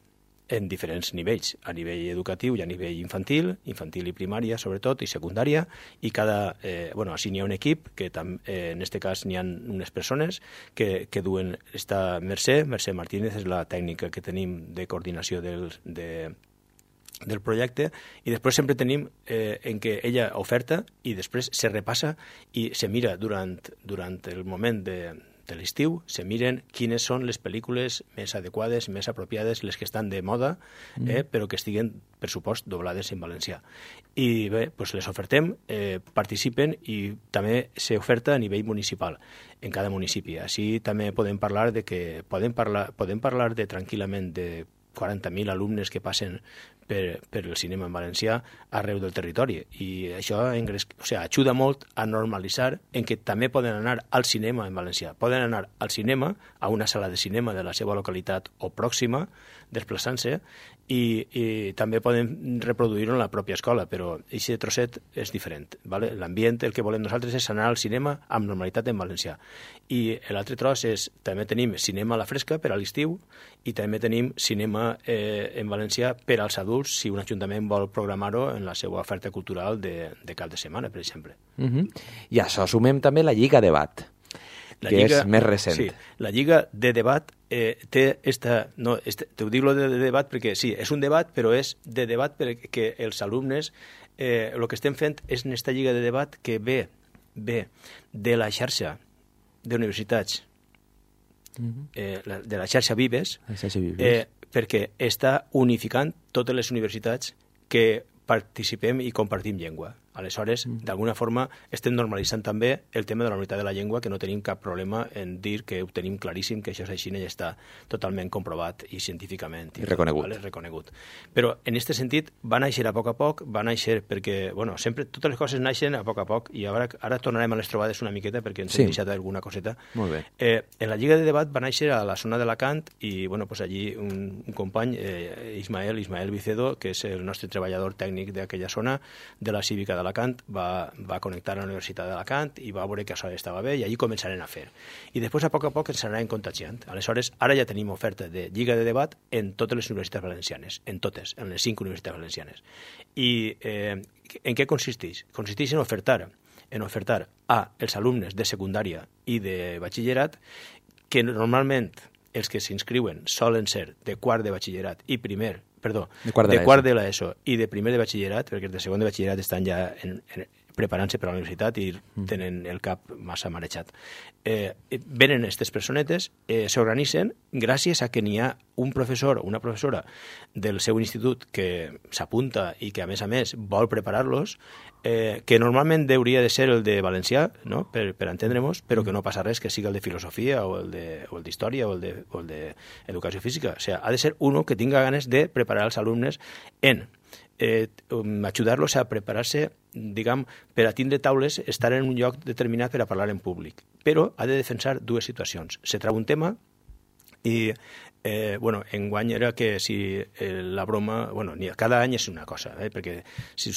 en diferents nivells, a nivell educatiu i a nivell infantil i primària, sobretot, i secundària, i així n'hi ha un equip, que en aquest cas n'hi ha unes persones que duen esta Mercè Martínez, és la tècnica que tenim de coordinació del projecte, i després sempre tenim en què ella oferta i després se repassa i se mira durant el moment de l'estiu, se miren quines són les pel·lícules més adequades, més apropiades, les que estan de moda, però que estiguen, per supost, doblades en valencià. I bé, doncs les ofertem, participen i també s'oferta a nivell municipal, en cada municipi. Així també podem parlar podem parlar tranquil·lament de 40.000 alumnes que passen per el cinema en valencià arreu del territori, i això ajuda molt a normalitzar en què també poden anar al cinema en valencià. Poden anar al cinema, a una sala de cinema de la seva localitat o pròxima, desplaçant-se, i també poden reproduir-ho en la pròpia escola, però aquest trosset és diferent. Vale? L'ambient, el que volem nosaltres és anar al cinema amb normalitat en valencià. I l'altre tros és, també tenim cinema a la fresca per a l'estiu, i també tenim cinema en valencià per als adults, si un ajuntament vol programar-ho en la seva oferta cultural de cap de setmana, per exemple. I a això sumem també la Lliga Debat, que és més recent. Sí, la Lliga de Debat té t'ho dic de debat perquè sí, és un debat, però és de debat perquè els alumnes, el que estem fent és en aquesta Lliga de Debat que ve de la xarxa d'universitats, de la xarxa Vives, perquè està unificant totes les universitats que participem i compartim llengua. Aleshores, d'alguna forma, estem normalitzant també el tema de la unitat de la llengua, que no tenim cap problema en dir que ho tenim claríssim, que això és així i ja està totalment comprovat i científicament. I reconegut. Vale? Reconegut. Però, en aquest sentit, va néixer a poc, va néixer perquè, bueno, sempre, totes les coses naixen a poc, i ara tornarem a les trobades una miqueta perquè ens hem deixat alguna coseta. Molt bé. En la Lliga de Debat va néixer a la zona d'Alacant i, bueno, pues allí un company, Ismael Vicedo, que és el nostre treballador tècnic d'aquella zona, de la Cívica d'Alacant, va connectar a la Universitat d'Alacant i va veure que això estava bé, i allí començarem a fer. I després, a poc ens anarem contagiant. Aleshores, ara ja tenim oferta de Lliga de Debat en totes les universitats valencianes, en les 5 universitats valencianes. I en què consisteix? Consisteix en ofertar als alumnes de secundària i de batxillerat, que normalment els que s'inscriuen solen ser de quart de batxillerat i de quart de l'ESO i de primer de batxillerat, perquè els de segon de batxillerat estan ja preparant-se per a la universitat i tenen el cap massa marejat. Venen aquestes personetes, s'organitzen gràcies a que n'hi ha un professor o una professora del seu institut que s'apunta i que, a més, vol preparar-los, que normalment hauria de ser el de valencià, no? per entendre-nos, però que no passa res que sigui el de filosofia o el d'història o el d'educació física. O sigui, ha de ser uno que tinga ganes de preparar els alumnes en ajudar-los a preparar-se, diguem, per a tindre taules, estar en un lloc determinat per a parlar en públic. Però ha de defensar dues situacions. Se trau un tema i, enguany era que si la broma... cada any és una cosa, perquè si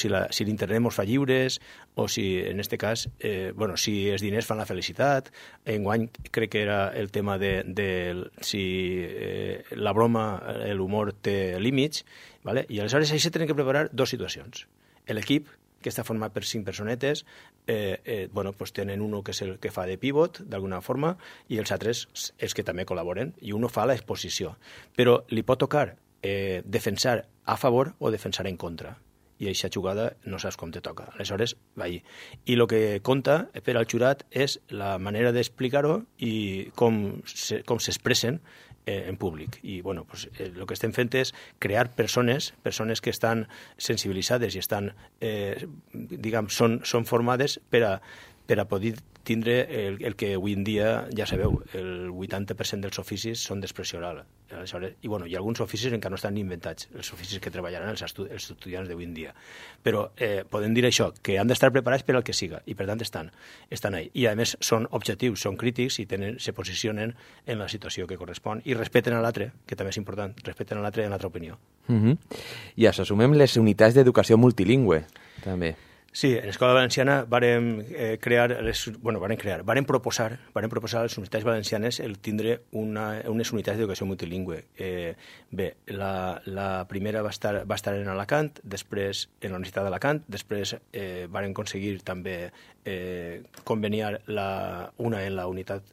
l'internet mos fa lliures, o si, en aquest cas, si els diners fan la felicitat, enguany crec que era el tema de si la broma, l'humor té límits, ¿vale? I aleshores ahí se tenen que preparar dues situacions. L'equip, que està format per 5 personetes, tenen uno que és el que fa de pivot, d'alguna forma, i els altres els que també col·laboren, i uno fa l'exposició. Però li pot tocar defensar a favor o defensar en contra. I aquesta jugada no saps com te toca. Aleshores, va allí. I el que compta per al jurat és la manera d'explicar-ho i com s'expressen en públic. I el que estem fent és crear persones que estan sensibilitzades i estan, són formades per a poder tindre el que avui en dia, ja sabeu, el 80% dels oficis són d'expressió oral. Aleshores, i alguns oficis encara no estan inventats, els oficis que treballaran els estudiants d'avui en dia. Però podem dir això, que han d'estar preparats per al que siga, i per tant estan ahí. I a més són objectius, són crítics i se posicionen en la situació que correspon i respeten a l'altre, que també és important, respeten a l'altre en l'altra opinió. I això sumem les unitats d'educació multilingüe, també. Sí, en l'Escola Valenciana vàrem proposar a les universitats valencianes el tindre unes unitats d'educació multilingüe. La primera va estar en Alacant, després en la Universitat d'Alacant, després vàrem aconseguir també conveniar una en la Universitat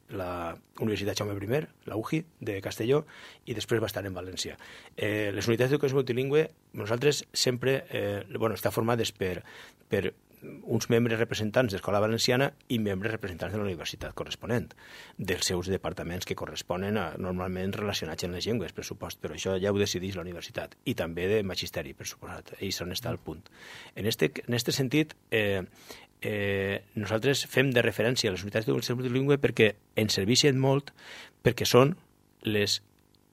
Jaume I, la UJI, de Castelló, i després va estar en València. Les unitats d'educació multilingüe, nosaltres sempre, està formades per uns membres representants d'Escola Valenciana i membres representants de la universitat corresponent, dels seus departaments que corresponen normalment relacionats amb les llengües, per supost, però això ja ho decideix la universitat, i també de magisteri, per suposat, i és on està el punt. En este sentit, nosaltres fem de referència a les unitats d'educació multilingüe perquè ens serveixen molt, perquè són les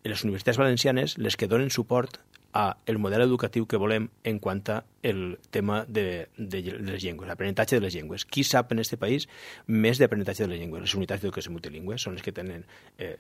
universitats valencianes les que donen suport a el model educatiu que volem en quant a el tema de les llengües, l'aprenentatge de les llengües. Qui sap en aquest país més d'aprenentatge de les llengües? Les unitats d'educació multilingüe són les que tenen,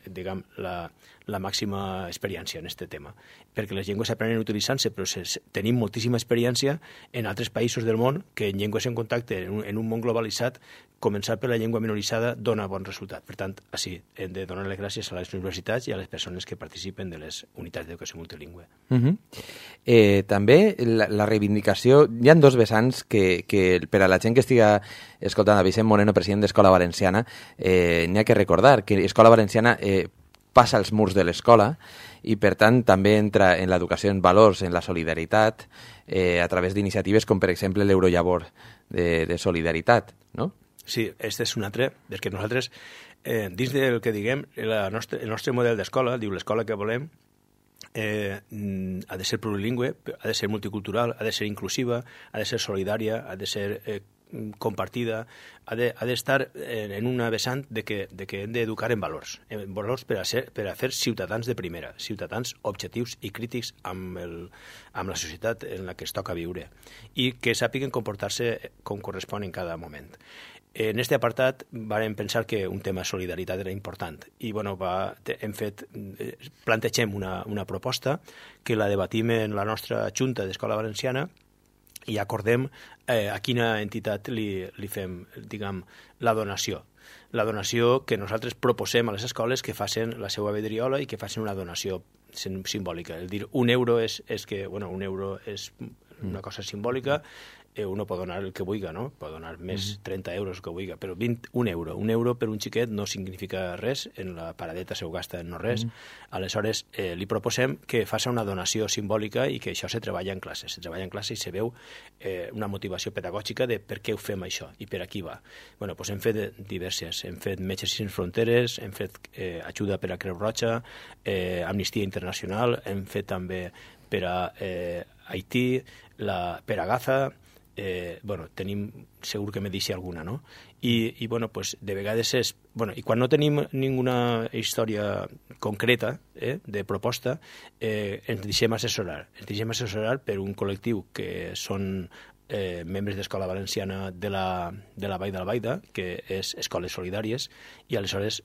diguem, la màxima experiència en aquest tema. Perquè les llengües s'aprenen utilitzant-se, però tenim moltíssima experiència en altres països del món que en llengües en contacte, en un món globalitzat, començar per la llengua minoritzada dona bon resultat. Per tant, així, hem de donar les gràcies a les universitats i a les persones que participen de les unitats d'educació multilingüe. També la reivindicació, hi ha dos vessants que per a la gent que estiga escoltant a Vicent Moreno, president d'Escola Valenciana, n'hi ha que recordar que Escola Valenciana passa els murs de l'escola i, per tant, també entra en l'educació en valors, en la solidaritat, a través d'iniciatives com, per exemple, l'Eurollavor de solidaritat, no? Sí, este és un altre, perquè nosaltres, dins del que diguem, el nostre model d'escola, diu l'escola que volem, ha de ser plurilingüe, ha de ser multicultural, ha de ser inclusiva, ha de ser solidària, ha de ser compartida, ha d'estar en una vessant de que hem d'educar en valors per a fer ciutadans de primera, ciutadans objectius i crítics amb la societat en la que es toca viure i que sàpiguen comportar-se com correspon en cada moment. En aquest apartat vam pensar que un tema de solidaritat era important i plantegem una proposta que la debatim en la nostra Junta d'Escola Valenciana i acordem a quina entitat li fem, diguem, la donació. La donació que nosaltres proposem a les escoles que facin la seva vidriola i que facin una donació simbòlica. El dir un euro és una cosa simbòlica, uno pot donar el que vulgui, no? Pot donar més 30 euros que vulgui, però un euro per un xiquet no significa res, en la paradeta se ho gasta en no res. Aleshores, li proposem que faci una donació simbòlica i que això se treballa en classe. Se treballa en classe i se veu una motivació pedagògica de per què ho fem això i per a qui va. Bueno, doncs hem fet diverses. Hem fet Metges Sense Fronteres, hem fet ajuda per a Creu Roja, Amnistia Internacional, hem fet també per a Haití, per a Gaza. Tenim, segur que me deixi alguna, no? I de vegades és... I quan no tenim ninguna història concreta de proposta, ens deixem assessorar. Ens deixem assessorar per un col·lectiu que són membres d'Escola Valenciana de la Vall d'Albaida, que és Escoles Solidàries, i aleshores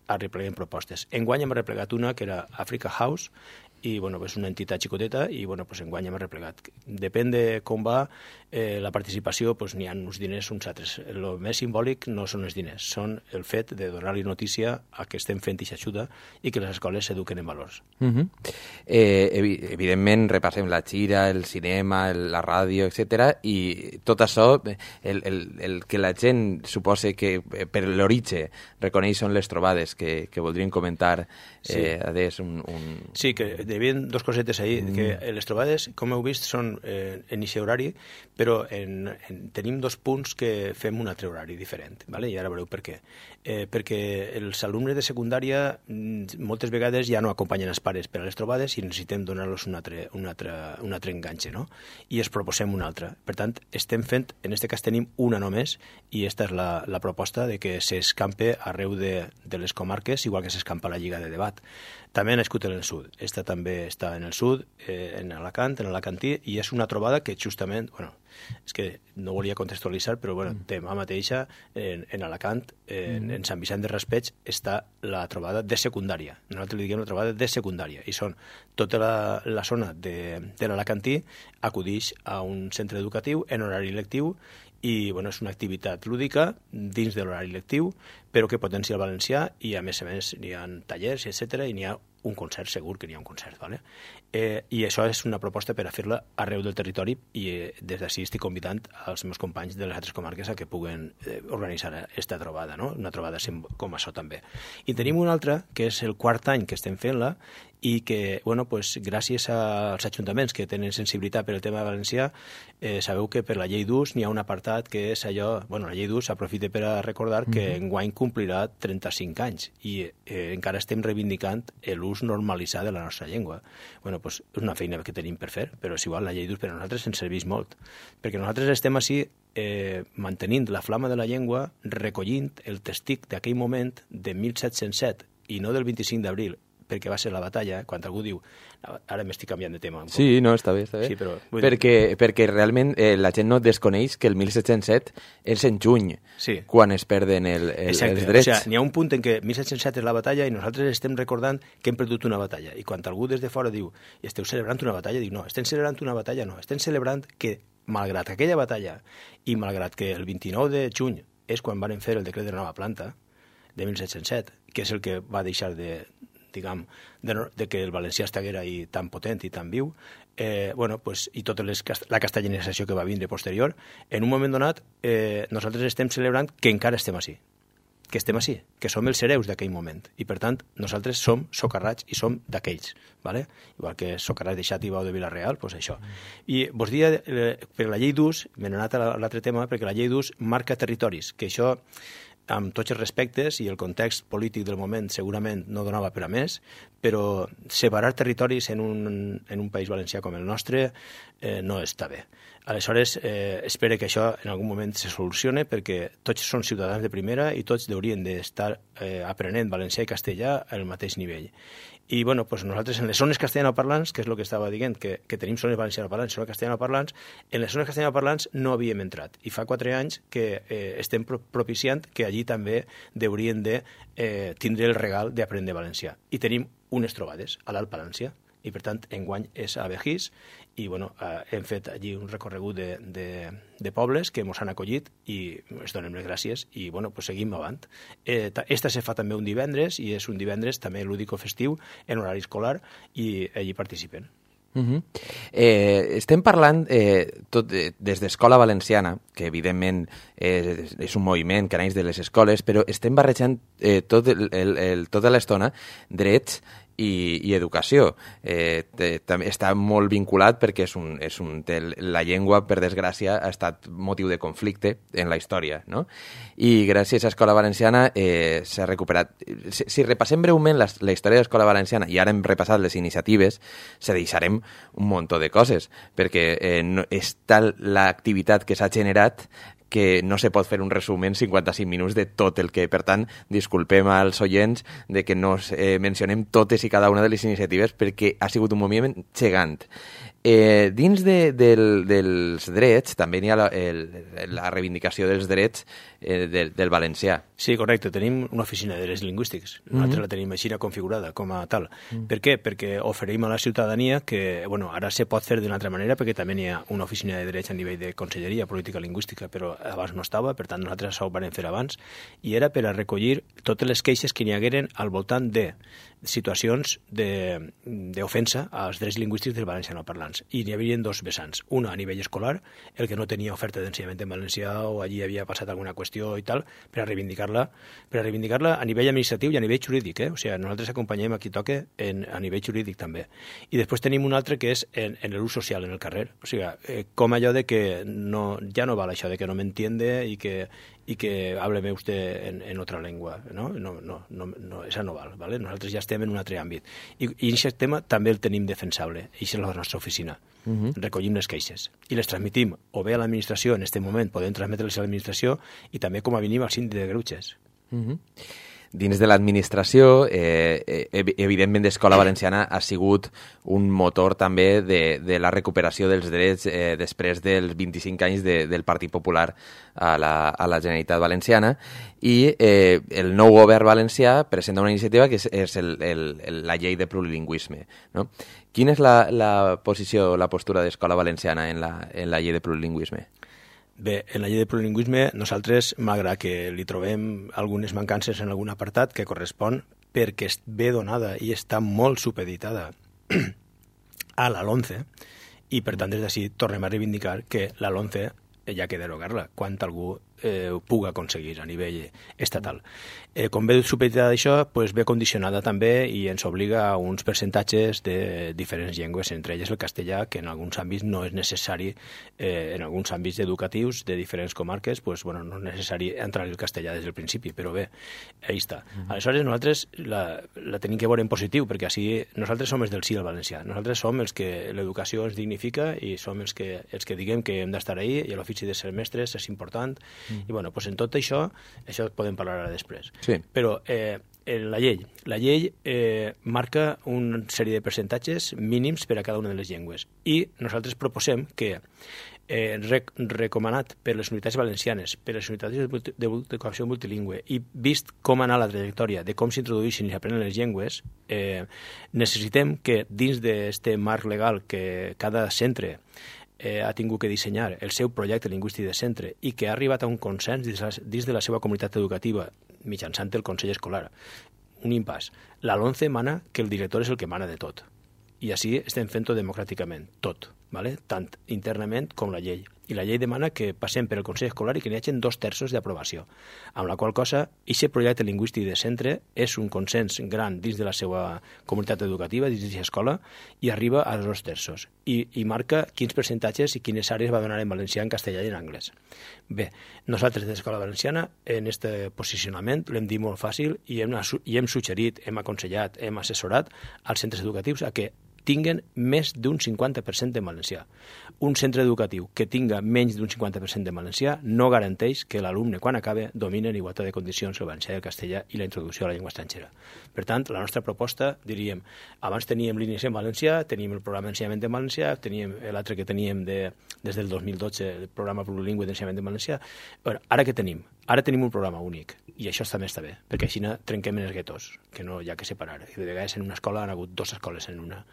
arrepleguem propostes. Enguany hem arreplegat una que era Africa House, i és una entitat xicoteta i enguany hem arreplegat. Depèn de com va la participació, n'hi ha uns diners, uns altres. El més simbòlic no són els diners, són el fet de donar-li notícia a que estem fent aquesta ajuda i que les escoles s'eduquen en valors. Evidentment repassem la gira, el cinema, la ràdio, etc. I tot això, el que la gent suposa que per l'origen reconeix són les trobades que voldríem comentar. Sí, que hi havia dues cosetes ahir, que les trobades, com heu vist, són en aquest horari, però tenim dos punts que fem un altre horari diferent, i ara veureu per què. Perquè els alumnes de secundària moltes vegades ja no acompanyen els pares per a les trobades i necessitem donar-los un altre enganxe, no? I es proposem una altra. Per tant, estem fent, en aquest cas tenim una només, i aquesta és la proposta de que s'escampe arreu de les comarques, igual que s'escampa la Lliga de Debat. També ha nascut en el sud. Esta també està en el sud, en Alacant, en Alacantí, i és una trobada que justament, és que no volia contextualitzar, però demà mateixa en Alacant, en Sant Vicent de Raspeig, està la trobada de secundària. Nosaltres li diguem la trobada de secundària, i són tota la zona de l'Alacantí acudix a un centre educatiu en horari lectiu i és una activitat lúdica dins de l'horari lectiu, però que potencia el valencià i a més n'hi ha tallers, etc. i n'hi ha un concert, segur que n'hi ha un concert. I això és una proposta per a fer-la arreu del territori i des d'ací estic convidant als meus companys de les altres comarques a que puguen organitzar aquesta trobada, no? Una trobada com això també. I tenim una altra, que és el quart any que estem fent-la i que, bueno, pues, gràcies als ajuntaments que tenen sensibilitat per el tema valencià, sabeu que per la llei d'ús n'hi ha un apartat que és allò, bueno, la llei d'ús aprofita per a recordar que enguany complirà 35 anys i encara estem reivindicant l'ús normalitzat de la nostra llengua. Bueno, pues, és una feina que tenim per fer, però és igual, la llei d'ús per a nosaltres ens serveix molt, perquè nosaltres estem així mantenint la flama de la llengua, recollint el testic d'aquell moment de 1707 i no del 25 d'abril, perquè va ser la batalla, quan algú diu ara m'estic canviant de tema. Sí, no, està bé. Sí, però, perquè realment la gent no desconeix que el 1707 és en juny, quan es perden els drets. O sigui, n'hi ha un punt en què 1707 és la batalla i nosaltres estem recordant que hem perdut una batalla. I quan algú des de fora diu esteu celebrant una batalla, dic no, estem celebrant una batalla, no, estem celebrant que malgrat aquella batalla i malgrat que el 29 de juny és quan van fer el decret de nova planta de 1707, que és el que va deixar de que el valencià estiguera ahí tan potent i tan viu, bueno, pues, i tota la castellanització que va vindre posterior, en un moment donat nosaltres estem celebrant que encara estem així, que som els hereus d'aquell moment, i per tant nosaltres som socarrats i som d'aquells, ¿vale? Igual que socarrats de Xat i Bau de Vila-real, pues això. I vos dia, per la llei d'ús, m'he anat a l'altre tema, perquè la llei d'ús marca territoris, que això amb tots els respectes i el context polític del moment segurament no donava per a més, però separar territoris en un país valencià com el nostre no està bé. Aleshores, espero que això en algun moment se solucione, perquè tots són ciutadans de primera i tots haurien d'estar aprenent valencià i castellà al mateix nivell. I bueno, pues nosaltres en les zones castellanoparlants, que és el que estava dient, que tenim zones valencianoparlants i zones castellanoparlants, en les zones castellanoparlants no havíem entrat. I fa 4 anys que estem propiciant que allí també haurien de tindre el regal d'aprendre valencià. I tenim unes trobades a l'Alt Palància, i per tant enguany és a Begís, i bueno, hem fet allí un recorregut de pobles que ens han acollit i ens donem les gràcies i bueno, pues seguim avant. Esta se fa també un divendres i és un divendres també lúdico-festiu en horari escolar i allí participen. Estem parlant tot des d'Escola Valenciana, que evidentment és un moviment que naix de les escoles, però estem barrejant tota l'estona drets i educació. Està molt vinculat perquè la llengua, per desgràcia, ha estat motiu de conflicte en la història, no? I gràcies a Escola Valenciana s'ha recuperat. Si repassem breument la història de l'Escola Valenciana, i ara hem repassat les iniciatives, se deixarem un munt de coses, perquè és tal l'activitat que s'ha generat que no se pot fer un resum en 55 minuts de tot el que, per tant, disculpem als oients de que no mencionem totes i cada una de les iniciatives perquè ha sigut un moviment gegant. Dins dels drets també hi ha la reivindicació dels drets del valencià. Sí, correcte. Tenim una oficina de drets lingüístics. Nosaltres la tenim així configurada com a tal. Per què? Perquè oferim a la ciutadania que, bueno, ara se pot fer d'una altra manera perquè també hi ha una oficina de drets a nivell de Conselleria Política Lingüística, però abans no estava, per tant nosaltres això ho vam fer abans, i era per a recollir totes les queixes que n'hi hagueren al voltant de situacions d'ofensa als drets lingüístics dels valencianoparlants. I n'hi havia 2 vessants. Una a nivell escolar, el que no tenia oferta d'ensenyament en valencià o allí havia passat alguna qüestió i tal, per a reivindicar-la a nivell administratiu i a nivell jurídic. O sigui, nosaltres acompanyem a qui toque a nivell jurídic també. I després tenim un altre que és en l'ús social, en el carrer. O sigui, com allò de que ja no val això de que no m'entiende i que hábleme usted en otra lengua, ¿no? No, esa no val, ¿vale? Nosaltres ja estem en un altre àmbit. I aquest tema també el tenim defensable, i és la nostra oficina. Recollim les queixes i les transmitim o bé a l'administració, en aquest moment podem transmetre-les a l'administració, i també com a mínim al síndic de greuges. Dins de l'administració, evidentment l'Escola Valenciana ha sigut un motor també de la recuperació dels drets després dels 25 anys del Partit Popular a la Generalitat Valenciana, i el nou govern valencià presenta una iniciativa que és la llei de plurilingüisme, no? Quina és la posició, la postura d'Escola Valenciana en la llei de plurilingüisme? Bé, en la llei de plurilingüisme nosaltres, malgrat que li trobem algunes mancances en algun apartat que correspon perquè ve donada i està molt supeditada a la LOMCE, i per tant des d'ací tornem a reivindicar que la LOMCE ja que derogar-la. Quan algú puga aconseguir a nivell estatal. Com ve supeditada això, ve condicionada també i ens obliga a uns percentatges de diferents llengües, entre elles el castellà, que en alguns àmbits no és necessari, en alguns àmbits educatius de diferents comarques, no és necessari entrar el castellà des del principi, però bé, ahí està. Aleshores, nosaltres la tenim que veure en positiu, perquè així nosaltres som els del sí al valencià, nosaltres som els que l'educació ens dignifica i som els que diguem que hem d'estar ahí i l'ofici de ser mestres és important. I en tot això podem parlar ara després. Sí. Però la llei marca una sèrie de percentatges mínims per a cada una de les llengües i nosaltres proposem que recomanat per les unitats valencianes, per les unitats d'educació multilingüe i vist com anar la trajectòria de com s'introdueixen i s'aprenen les llengües, necessitem que dins d'aquest marc legal que cada centre ha tingut que dissenyar el seu projecte lingüístic de centre i que ha arribat a un consens dins de la seva comunitat educativa mitjançant el Consell Escolar. Un impàs. La LOMCE mana que el director és el que mana de tot. I així estem fent-ho democràticament, tot, tant internament com la llei. I la llei demana que passem per el Consell Escolar i que n'hi hagi 2/3 d'aprovació, amb la qual cosa, aquest projecte lingüístic de centre és un consens gran dins de la seva comunitat educativa, dins d'aquesta escola, i arriba als 2/3. I marca quins percentatges i quines àrees va donar en valencià, en castellà i en anglès. Bé, nosaltres de l'Escola Valenciana, en aquest posicionament, l'hem dit molt fàcil i hem suggerit, hem aconsellat, hem assessorat als centres educatius a que tinguen més d'un 50% de valencià. Un centre educatiu que tinga menys d'un 50% de valencià no garanteix que l'alumne, quan acabe, domini en igualtat de condicions el valencià i el castellà i la introducció a la llengua estrangera. Per tant, la nostra proposta, diríem, abans teníem línies en valencià, teníem el programa d'ensenyament en valencià, teníem l'altre que teníem des del 2012, el programa plurilingüe d'ensenyament en valencià. Ara què tenim? Ara tenim un programa únic, i això també està bé, perquè així trenquem en els guetos, que no hi ha que separar. I de vegades en una escola han hagut 2 escoles en una.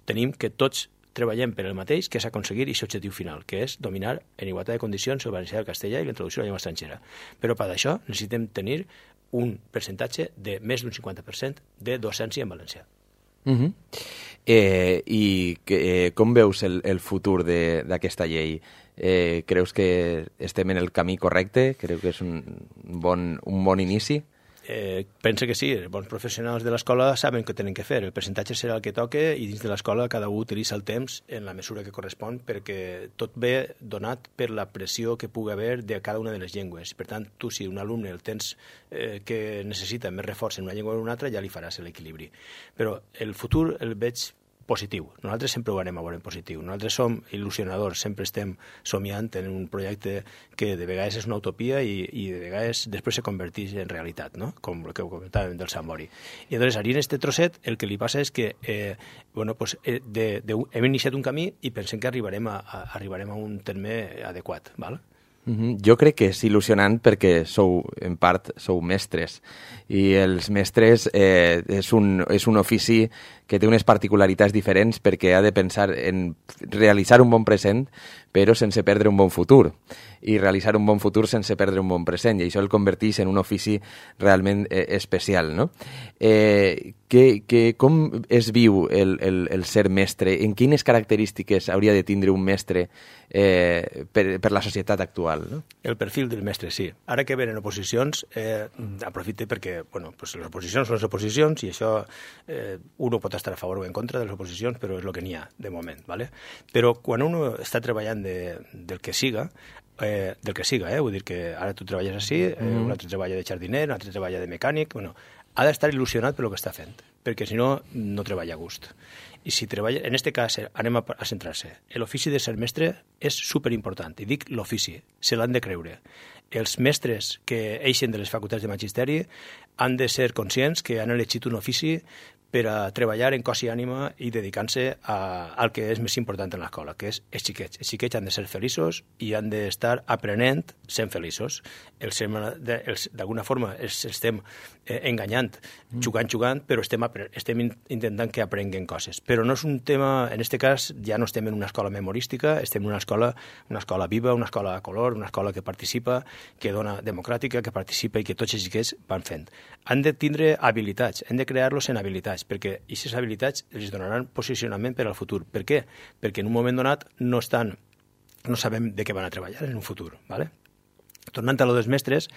Tenim que tots treballem per el mateix, que és aconseguir aquest objectiu final, que és dominar en igualtat de condicions el valencià i el castellà i la introducció a la llengua estrangera. Però per això necessitem tenir un percentatge de més d'un 50% de docència en valencià. I com veus el futur d'aquesta llei? Creus que estem en el camí correcte? Creu que és un bon inici? Penso que sí, els bons professionals de l'escola saben què tenen que fer, el percentatge serà el que toca i dins de l'escola cada un utilitza el temps en la mesura que correspon perquè tot ve donat per la pressió que pugui haver de cada una de les llengües. Per tant, tu si un alumne el tens que necessita més reforç en una llengua o en una altra ja li faràs l'equilibri. Però el futur el veig positiu. Nosaltres sempre ho anem a veure en positiu. Nosaltres som il·lusionadors, sempre estem somiant en un projecte que de vegades és una utopia i de vegades després se converteix en realitat, no? Com el que comentàvem del Sant Mori. I llavors, allí en aquest trosset, el que li passa és que hem iniciat un camí i pensem que arribarem a un terme adequat, val? Jo crec que és il·lusionant perquè en part sou mestres i els mestres és un ofici que té unes particularitats diferents perquè ha de pensar en realitzar un bon present però sense perdre un bon futur i realitzar un bon futur sense perdre un bon present i això el converteix en un ofici realment especial, no? Com es viu el ser mestre? En quines característiques hauria de tindre un mestre per la societat actual? No? El perfil del mestre, sí. Ara que venen oposicions, aprofite perquè les oposicions són les oposicions i això uno pot estar a favor o en contra de les oposicions, però és el que n'hi ha de moment. ¿vale? Però quan uno està treballant del que siga, vull dir que ara tu treballes així, un altre treballa de jardiner, un altre treballa de mecànic, ha d'estar il·lusionat per el que està fent, perquè si no, no treballa a gust. I si treballa, en aquest cas, anem a centrar-se. L'ofici de ser mestre és superimportant, i dic l'ofici, se l'han de creure. Els mestres que eixen de les facultats de magisteri han de ser conscients que han elegit un ofici per a treballar en cos i ànima i dedicant-se al que és més important en l'escola, que és els xiquets. Els xiquets han de ser feliços i han d'estar aprenent sent feliços. D'alguna forma els estem enganyant, jugant, però estem intentant que aprenguen coses. Però no és un tema, en aquest cas ja no estem en una escola memorística, estem en una escola viva, una escola a color, una escola que participa, que dona democràtica, que participa i que tots els xiquets van fent. Han de tindre habilitats, hem de crear-los en habilitats, perquè aquestes habilitats els donaran posicionament per al futur. Per què? Perquè en un moment donat no sabem de què van a treballar en un futur. ¿vale? tornant a lo dels mestres,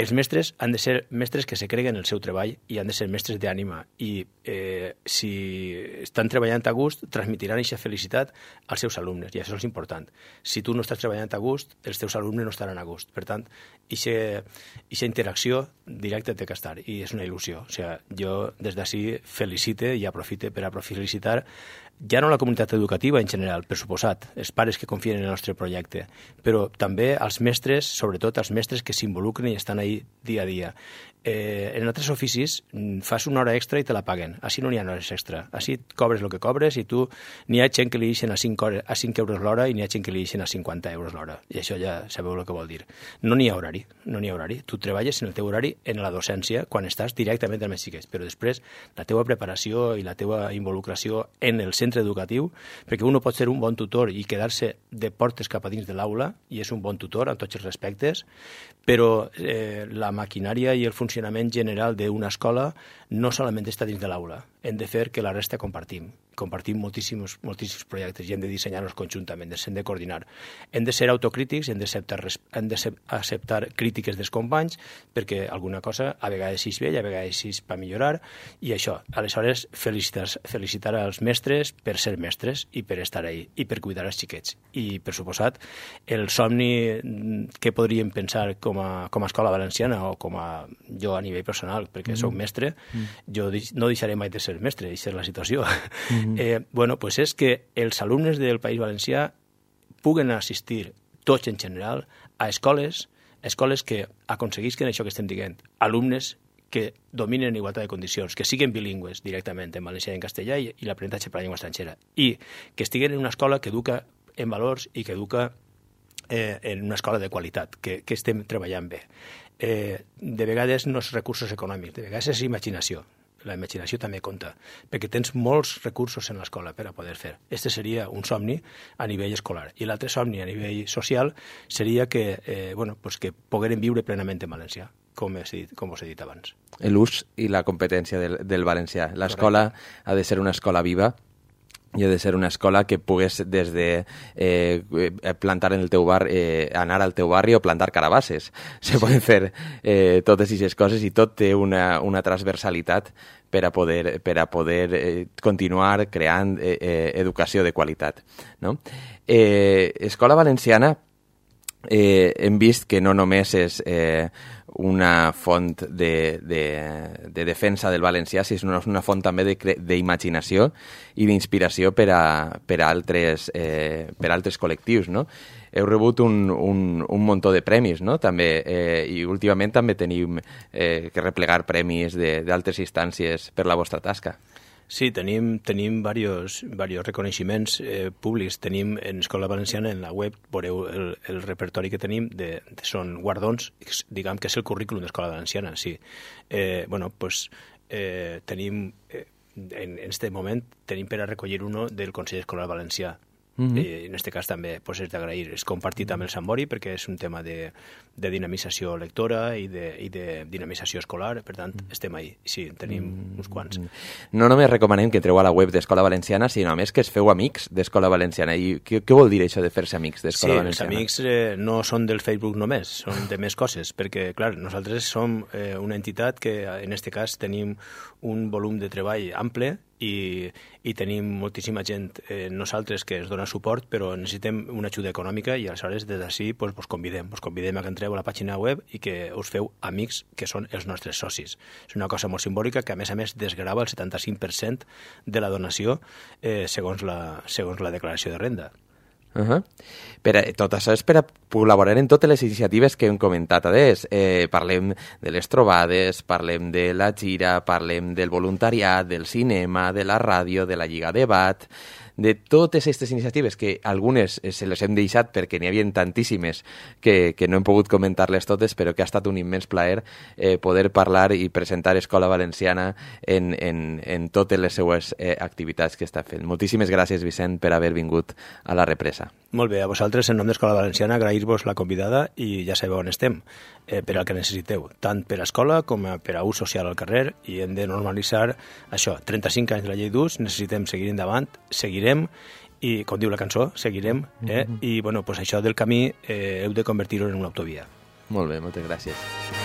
els mestres han de ser mestres que se creguen el seu treball i han de ser mestres d'ànima i si estan treballant a gust transmitiran aquesta felicitat als seus alumnes i això és important. Si tu no estàs treballant a gust, els teus alumnes no estaran a gust. Per tant, aquesta interacció directa té que estar i és una il·lusió. O sigui, jo des d'ací felicite i aprofite per a felicitar ja no la comunitat educativa en general, per suposat, els pares que confien en el nostre projecte, però també als mestres, sobretot als mestres que s'involucren i estan ahí dia a dia. En altres oficis fas una hora extra i te la paguen. Així no n'hi ha hores extra. Així cobres el que cobres i tu n'hi ha gent que li deixen a 5 euros l'hora i n'hi ha gent que li deixen a 50 euros l'hora. I això ja sabeu el que vol dir. No n'hi ha horari, no n'hi ha horari. Tu treballes en el teu horari en la docència quan estàs directament amb els xiquets, però després la teua preparació i la teua involucració en el centre educatiu, perquè un pot ser un bon tutor i quedar-se de portes cap a dins de l'aula, i és un bon tutor en tots els respectes, però la maquinària i el funcionament general d'una escola no solament està dins de l'aula. Hem de fer que la resta compartim moltíssims projectes i hem de dissenyar-los conjuntament, hem de coordinar. Hem de ser autocrítics, hem d'acceptar crítiques dels companys, perquè alguna cosa a vegades és bé i a vegades és per millorar, i això, aleshores felicitar als mestres per ser mestres i per estar ahí, i per cuidar els xiquets. I, per suposat, el somni que podríem pensar com a escola valenciana o com a jo a nivell personal, perquè soc mestre, jo no deixaré mai de ser mestre, i és la situació. Pues és que els alumnes del País Valencià puguen assistir, tots en general, a escoles que aconseguisquen això que estem dient, alumnes que dominen en igualtat de condicions, que siguin bilingües directament en valencià i en castellà i l'aprenentatge per la llengua estrangera, i que estiguen en una escola que educa en valors i que educa en una escola de qualitat, que estem treballant bé. De vegades no és recursos econòmics, de vegades és imaginació. La imaginació també compta, perquè tens molts recursos en l'escola per a poder fer. Este seria un somni a nivell escolar. I l'altre somni a nivell social seria que pogueren viure plenament en valencià, com us he dit abans. L'ús i la competència del valencià. L'escola ha de ser una escola viva i ha de ser una escola que pugues des de plantar en el teu bar, anar al teu barri o plantar carabasses. Se poden fer totes aquestes coses i tot té una transversalitat per a poder continuar creant educació de qualitat. No? Escola Valenciana hem vist que no només és una font de defensa del valencià, sinó una font també d'imaginació i d'inspiració per a altres col·lectius, no? Heu rebut un muntó de premis, no? També, i últimament també tenim que replegar premis d'altres instàncies per la vostra tasca. Sí, tenim diversos reconeixements públics. Tenim en Escola Valenciana, en la web, veureu el repertori que tenim, són guardons, diguem que és el currículum d'Escola Valenciana, sí. Tenim, en aquest moment, tenim per a recollir uno del Consell Escolar Valencià. I en aquest cas també és d'agrair. És compartit amb el Sambori perquè és un tema de dinamització lectora i de dinamització escolar, per tant estem ahí. Sí, tenim uns quants. No només recomanem que entreu a la web d'Escola Valenciana, sinó a més que es feu amics d'Escola Valenciana. I què vol dir això de fer-se amics d'Escola Valenciana? Sí, els amics no són del Facebook només, són de més coses, perquè, clar, nosaltres som una entitat que, en aquest cas, tenim un volum de treball ample i tenim moltíssima gent nosaltres que ens dona suport, però necessitem una ajuda econòmica i aleshores des d'ací vos convidem a que entreu a la pàgina web i que us feu amics que són els nostres socis. És una cosa molt simbòlica que a més desgrava el 75% de la donació segons la declaració de renda. Tot això és per a col·laborar en totes les iniciatives que hem comentat adés. Parlem de les trobades, parlem de la gira, parlem del voluntariat, del cinema, de la ràdio, de la Lliga Debat, de totes aquestes iniciatives que algunes se les hem deixat perquè n'hi havia tantíssimes que no hem pogut comentar-les totes, però que ha estat un immens plaer poder parlar i presentar Escola Valenciana en totes les seues activitats que està fent. Moltíssimes gràcies, Vicent, per haver vingut a la represa. Molt bé, a vosaltres, en nom d'Escola Valenciana, agrair-vos la convidada i ja sabeu on estem, per al que necessiteu, tant per a escola com per a ús social al carrer, i hem de normalitzar això. 35 anys de la llei d'ús, necessitem seguir endavant, seguirem, i com diu la cançó, seguirem, i això del camí heu de convertir-ho en una autovia. Molt bé, moltes gràcies.